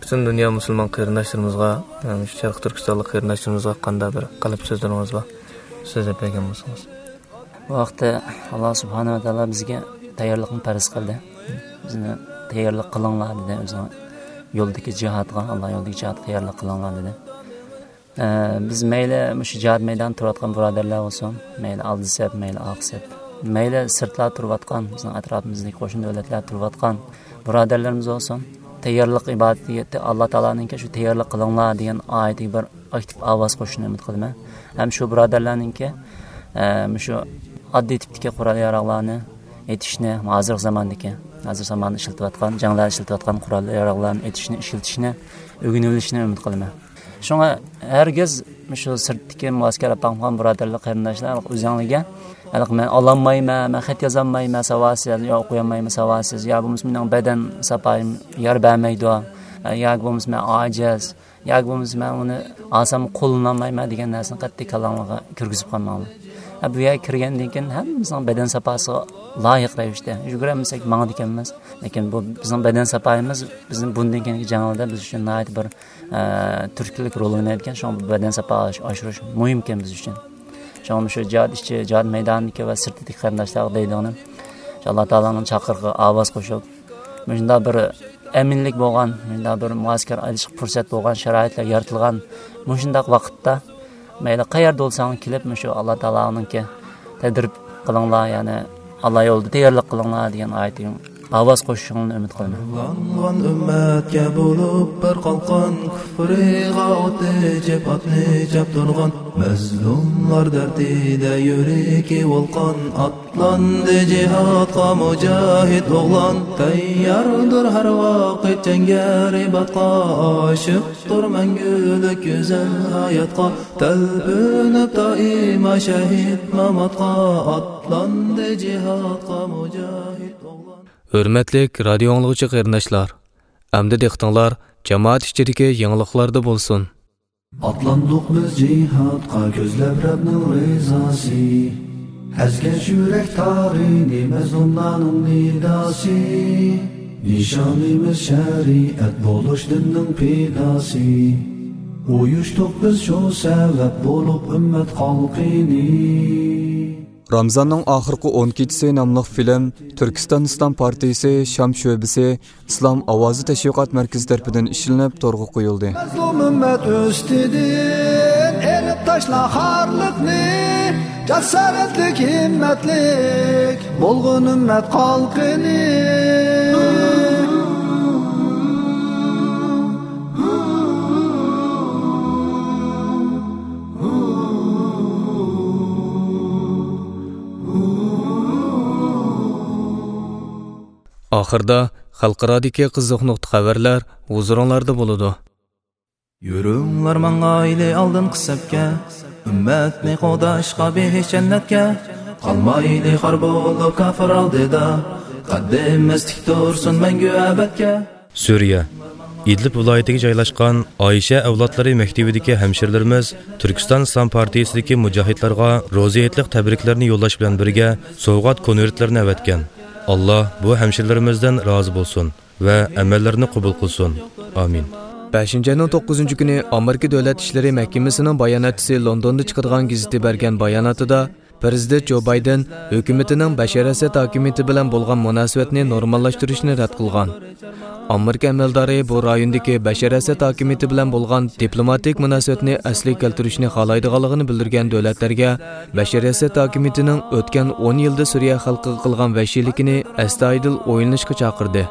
پۈتۈن دۇنيا مۇسۇلمان قېرىنداشلىرىمىزغا، ئە، مۇشۇ شەرقىي تۈركىستانلىق قېرىنداشلىرىمىزغا قانداق بىر قەلب سۆزلىرىڭىز بار؟ سۆزلەپ بەرگەن بولسىڭىز. بۇ ھەقتە ئاللا سۇبھانەھۇ ۋە تائالا بىزگە تەييارلىقنى پەرز قىلدى. بىزنى تەييارلىق قىلىڭلار دېدى، ئۆزىنىڭ يولىدىكى جىھادقا، ئاللا يولىدىكى جىھادقا تەييارلىق قىلىڭلار دېدى. ئە، بىز مەيلى مۇشۇ جىھاد مەيدانىدا تۇرۇۋاتقان بۇرادەرلەر بولسۇن، مەيلى ئالدى سەپ، مەيلى ئارقا سەپ، مەيلى سىرتلاردا تۇرۇۋاتقان بىزنىڭ ئەتراپىمىزدىكى قوشنا دۆلەتلەردە تۇرۇۋاتقان بۇرادەرلىرىمىز بولسۇن، تەييارلىق ئىبادىتى، ئاللا تائالانىڭكى شۇ تەييارلىق قىلىڭلار دېگەن ئايىتىگە بىر ئاكتىپ ئاۋاز قوشۇشنى ئۈمىد قىلىمەن. ھەم شۇ بۇرادەرلەرنىڭكى، ئە، مۇشۇ ئاددىي تىپتىكى قورال ياراغلارنى ئېتىشنى، ھازىرقى زاماندىكى، ھازىر زاماندا ئىشلىتىۋاتقان، جەڭلەردە ئىشلىتىۋاتقان قورال ياراغلارنى ئېتىشنى، ئىشلىتىشنى ئۆگىنىۋېلىشنى ئۈمىد قىلىمەن. شۇڭا ھەرگىز مۇشۇ سىرتتىكى مۇئەسكەر ئاپاڭغان بۇرادەرلەر، قېرىنداشلار ئۆزۈڭلارگە، ھېلىقى مەن ئالالمايمەن، مەن خەت يازالمايمەن، ساۋاتسىز، يا ئوقۇيالمايمەن، ساۋاتسىز، يا بولمىسا مېنىڭ بەدەن ساپايىم يار بەرمەيدۇ، ياكى بولمىسا مەن ئاجىز، ياكى بولمىسا مەن ئۇنى ئالسام قوللىنالمايمەن دېگەن نەرسىنى قەتئىي كاللاڭلارغا كىرگۈزۈپ قالماڭلار. ھە، بۇ يەرگە كىرگەندىن كېيىن ھەممىمىزنىڭ بەدەن ساپاسىغا لايىق رەۋىشتە يۈگۈرەلمىسەك ماڭىدىكەنمىز. لېكىن بۇ بىزنىڭ بەدەن ساپايىمىز بىزنى بۇندىن كېيىنكى جەڭلەردە بىز ئۈچۈن ناھايىتى بىر، ئە، تۈرتكىلىك رول ئوينايدىكەن. شۇڭا بۇ بەدەن ساپا ئاش-، ئاشۇرۇش مۇھىمكەن بىز ئۈچۈن. شۇڭا مۇشۇ جىھاد ئىچى، جىھاد مەيدانىدىكى ۋە سىرتىدىكى قېرىنداشلارغا دەيدىغىنىم، شۇ ئاللا تائالانىڭ چاقىرىقىغا ئاۋاز قوشۇپ، مۇشۇنداق بىر ئەمىنلىك بولغان، مۇشۇنداق بىر مۇئەسكەر ئېلىشقا پۇرسەت بولغان، شارائىتلار يارىتىلغان مۇشۇنداق ۋاقىتتا، مەيلى قەيەردە بولساڭ كېلىپ، مۇشۇ ئاللا تائالانىڭكى تەدرىب قىلىڭلار، يەنى ئاللا يولىدا تەييارلىق قىلىڭلار دېگەن ئايىتىگە ئاۋاز قوشۇشۇڭلارنى ئۈمىد قىلىمەن. نۇرلانغان ئۈممەتكە بولۇپ بىر قالقان، كۇفرىغا ئوت ئېچىپ ئاتنى چاپتۇرغان، مەزلۇملار دەردىدە يۈرىكى ۋولقان، ئاتلاندى جىھادقا مۇجاھىد ئوغلان، تەيياردۇر ھەر ۋاقىت جەڭگە رىباتقا، ئاشىقتۇر مەڭگۈلۈك گۈزەل ھاياتقا، تەلپۈنۈپ دائىما شەھىد ماماتقا، ئاتلاندى جىھادقا مۇجاھىد ئوغلان. ھۆرمەتلىك رادىيو ئاڭلىغۇچى قېرىنداشلار، ئەمدى دىققىتىڭلار جامائەت ئىچىدىكى يېڭىلىقلاردا بولسۇن. ئاتلاندۇق بىز جىھادقا كۆزلەپ رەبنىڭ رىزاسى، ئەزگەش يۈرەك تارىنى مەزلۇملارنىڭ نىداسى، نىشانىمىز شەرىئەت بولۇش دىننىڭ پىداسى. ئۇيۇشتۇق بىز شۇ سەۋەب بولۇپ ئۈممەت خەلقىنى. رامزاننىڭ ئاخىرقى ئون كېچىسى ناملىق فىلىم تۈركىستان ئىسلام پارتىيىسى شام شۆبىسى ئىسلام ئاۋازى تەشۋىقات مەركىزى تەرىپىدىن ئىشلىنىپ تورغا قويۇلدى. مەزلۇم ئۈممەت ئۈستىدىن ئېلىپ تاشلا خارلىقنى، جاسارەتلىك، ھىممەتلىك بولغىن ئۈممەت قالقىنى. ئاخىردا خەلقئارادىكى قىزىق نۇقتا خەۋەرلەر ھۇزۇرۇڭلاردا بولىدۇ. يۈرۈڭلار ماڭايلى ئالدىنقى سەپكە، ئۈممەتنى قوغداشقا بېھىش جەننەتكە. قالمايلى خار بولۇپ كاپىر ئالدىدا، قەددىمىز تىك تۇرسۇن مەڭگۈ ئەبەدكە. سۈرىيە، ئىدلىب ۋىلايىتىگە جايلاشقان ئائىشە ئەۋلادلىرى مەكتىۋىدىكى ھەمشىرىلىرىمىز تۈركىستان ئىسلام پارتىيىسىدىكى مۇجاھىدلارغا روزى ھېيتلىق تەبرىكلەرنى يوللاش بىلەن بىرگە سوۋغات كونۋېرتلىرىنى ئەۋەتكەن. ئاللا بۇ ھەمشىرىلىرىمىزدىن رازى بولسۇن ۋە ئەمەللىرىنى قوبۇل قىلسۇن. ئامىن. بەشىنچى ئاينىڭ توققۇزىنچى كۈنى ئامېرىكا دۆلەت ئىشلىرى مەھكىمىسىنىڭ باياناتچىسى لوندوندا چىقىدىغان گېزىتى بەرگەن باياناتىدا، پىرېزىدېنت جو بايدېن ھۆكۈمىتىنىڭ بەشار ئەسەد ھاكىمىيىتى بىلەن بولغان مۇناسىۋەتنى نورماللاشتۇرۇشنى رەت قىلغان. ئامېرىكا ئەمەلدارى بۇ رايوندىكى بەشار ئەسەد ھاكىمىيىتى بىلەن بولغان دىپلوماتىك مۇناسىۋەتنى ئەسلىگە كەلتۈرۈشنى خالايدىغانلىقىنى بىلدۈرگەن دۆلەتلەرگە بەشار ئەسەد ھاكىمىيىتىنىڭ ئۆتكەن ئون يىلدا سۈرىيە خەلقىگە قىلغان ۋەھشىيلىكىنى ئەستايىدىل ئويلىنىشقا چاقىردى.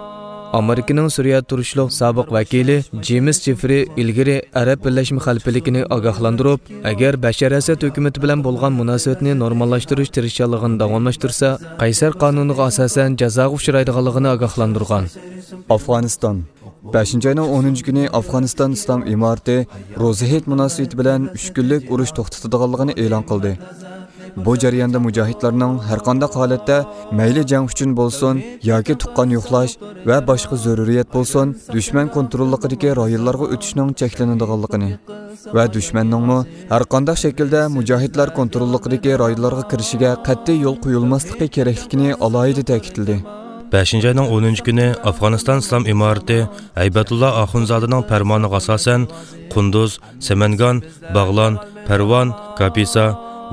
ئامېرىكىنىڭ سۈرىيە تۇرۇشلۇق سابىق ۋەكىلى جېيمىس جېفرى ئىلگىرى ئەرەب بىرلەشمە خەلىپىلىكىنى ئاگاھلاندۇرۇپ، ئەگەر بەشار ئەسەد ھۆكۈمىتى بىلەن بولغان مۇناسىۋەتنى نورماللاشتۇرۇش تىرىشچانلىقىنى داۋاملاشتۇرسا، قەيسەر قانۇنىغا ئاساسەن جازاغا ئۇچرايدىغانلىقىنى ئاگاھلاندۇرغان. ئافغانىستان. بەشىنچى ئاينىڭ ئونىنچى كۈنى ئافغانىستان ئىسلام ئىمارىتى روزا ھېيت مۇناسىۋىتى بىلەن ئۈچ كۈنلۈك ئۇرۇش توختىتىدىغانلىقىنى ئېلان قىلدى. بۇ جەرياندا مۇجاھىدلارنىڭ ھەرقانداق ھالەتتە، مەيلى جەڭ ئۈچۈن بولسۇن ياكى تۇغقان يوقلاش ۋە باشقا زۆرۈرىيەت بولسۇن، دۈشمەن كونتروللۇقىدىكى رايونلارغا ئۆتۈشنىڭ چەكلىنىدىغانلىقىنى ۋە دۈشمەننىڭمۇ ھەرقانداق شەكىلدە مۇجاھىدلار كونتروللۇقىدىكى رايونلارغا كىرىشىگە قەتئىي يول قويۇلماسلىقى كېرەكلىكىنى ئالاھىدە تەكىتلىدى. بەشىنچى ئاينىڭ ئونىنچى كۈنى ئافغانىستان ئىسلام ئىمارىتى ھەيبەتۇللا ئاخۇنزادىنىڭ پەرمانىغا ئاساسەن، قۇندۇز، سەمەنگان، باغلان، پەرۋان، كاپىسا،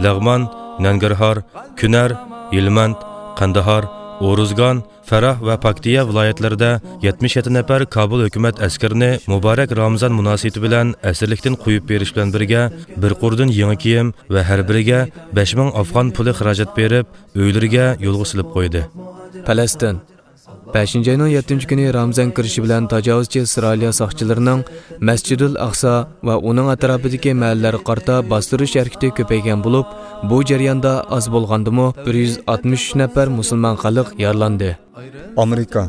لەغمان، نەنگىرھار، كۈنەر، ھىلمەند، قەندىھار، ئورۇزگان، فەراھ ۋە پاكتىيا ۋىلايەتلىرىدە يەتمىش يەتتە نەپەر كابۇل ھۆكۈمەت ئەسكىرىنى مۇبارەك رامىزان مۇناسىۋىتى بىلەن ئەسىرلىكتىن قويۇپ بېرىش بىلەن بىرگە، بىر قۇردىن يېڭى كىيىم ۋە ھەر بىرىگە بەش مىڭ ئافغان پۇلى خىراجەت بېرىپ، ئۆيلىرىگە يولغا سېلىپ قويدى. پەلەستىن. بەشىنچى ئاينىڭ يەتتىنچى كۈنى رامىزان كىرىشى بىلەن تاجاۋۇزچى ئىسرائىلىيە ساقچىلىرىنىڭ مەسجىدۇل ئەقسا ۋە ئۇنىڭ ئەتراپىدىكى مەھەللىلەرگە قارىتا باستۇرۇش ھەرىكىتى كۆپەيگەن بولۇپ، بۇ جەرياندا ئاز بولغاندىمۇ بىر يۈز ئاتمىش ئۈچ نەپەر مۇسۇلمان خەلق يارىلاندى. ئامېرىكا.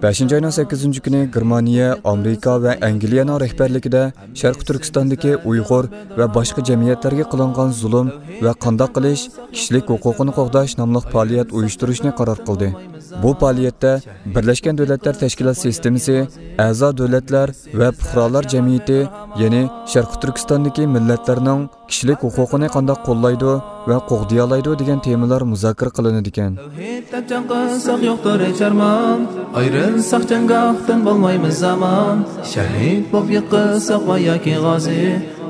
بەشىنچى ئاينىڭ سەككىزىنچى كۈنى گېرمانىيە، ئامېرىكا ۋە ئەنگلىيەنىڭ رەھبەرلىكىدە شەرقىي تۈركىستاندىكى ئۇيغۇر ۋە باشقا جەمئىيەتلەرگە قىلىنغان زۇلۇم ۋە قانداق قىلىش، كىشىلىك ھوقۇقىنى قوغداش ناملىق پائالىيەت ئۇيۇشتۇرۇشنى قارار قىلدى. بۇ پائالىيەتتە بىرلەشكەن دۆلەتلەر تەشكىلات سىستېمىسى، ئەزا دۆلەتلەر ۋە پۇقرالار جەمئىيىتى، يەنى شەرقىي تۈركىستاندىكى مىللەتلەرنىڭ كىشىلىك ھوقۇقىنى قانداق قوللايدۇ ۋە قوغدىيالايدۇ دېگەن تېمىلار مۇزاكىرە قىلىنىدىكەن. تەۋھىد دەپ جەڭ قىلساق يوقتۇر ھېچ ئارمان، ئايرىلساق جەڭگاھتىن بولمايمىز ئامان. شەھىد بولۇپ يىقىلساق ۋە ياكى غازى،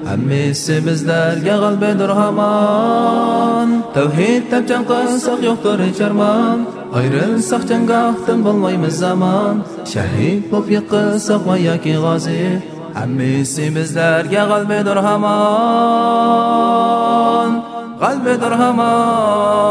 ھەممىسى بىزلەرگە غەلىبىدۇر ھامان. تەۋھىد دەپ جەڭ قىلساق يوقتۇر ھېچ ئارمان، ئايرىلساق جەڭگاھتىن بولمايمىز ئامان. شەھىد بولۇپ يىقىلساق ۋە ياكى غازى، ھەممىسى بىزلەرگە غەلىبىدۇر ھامان، غەلىبىدۇر ھامان.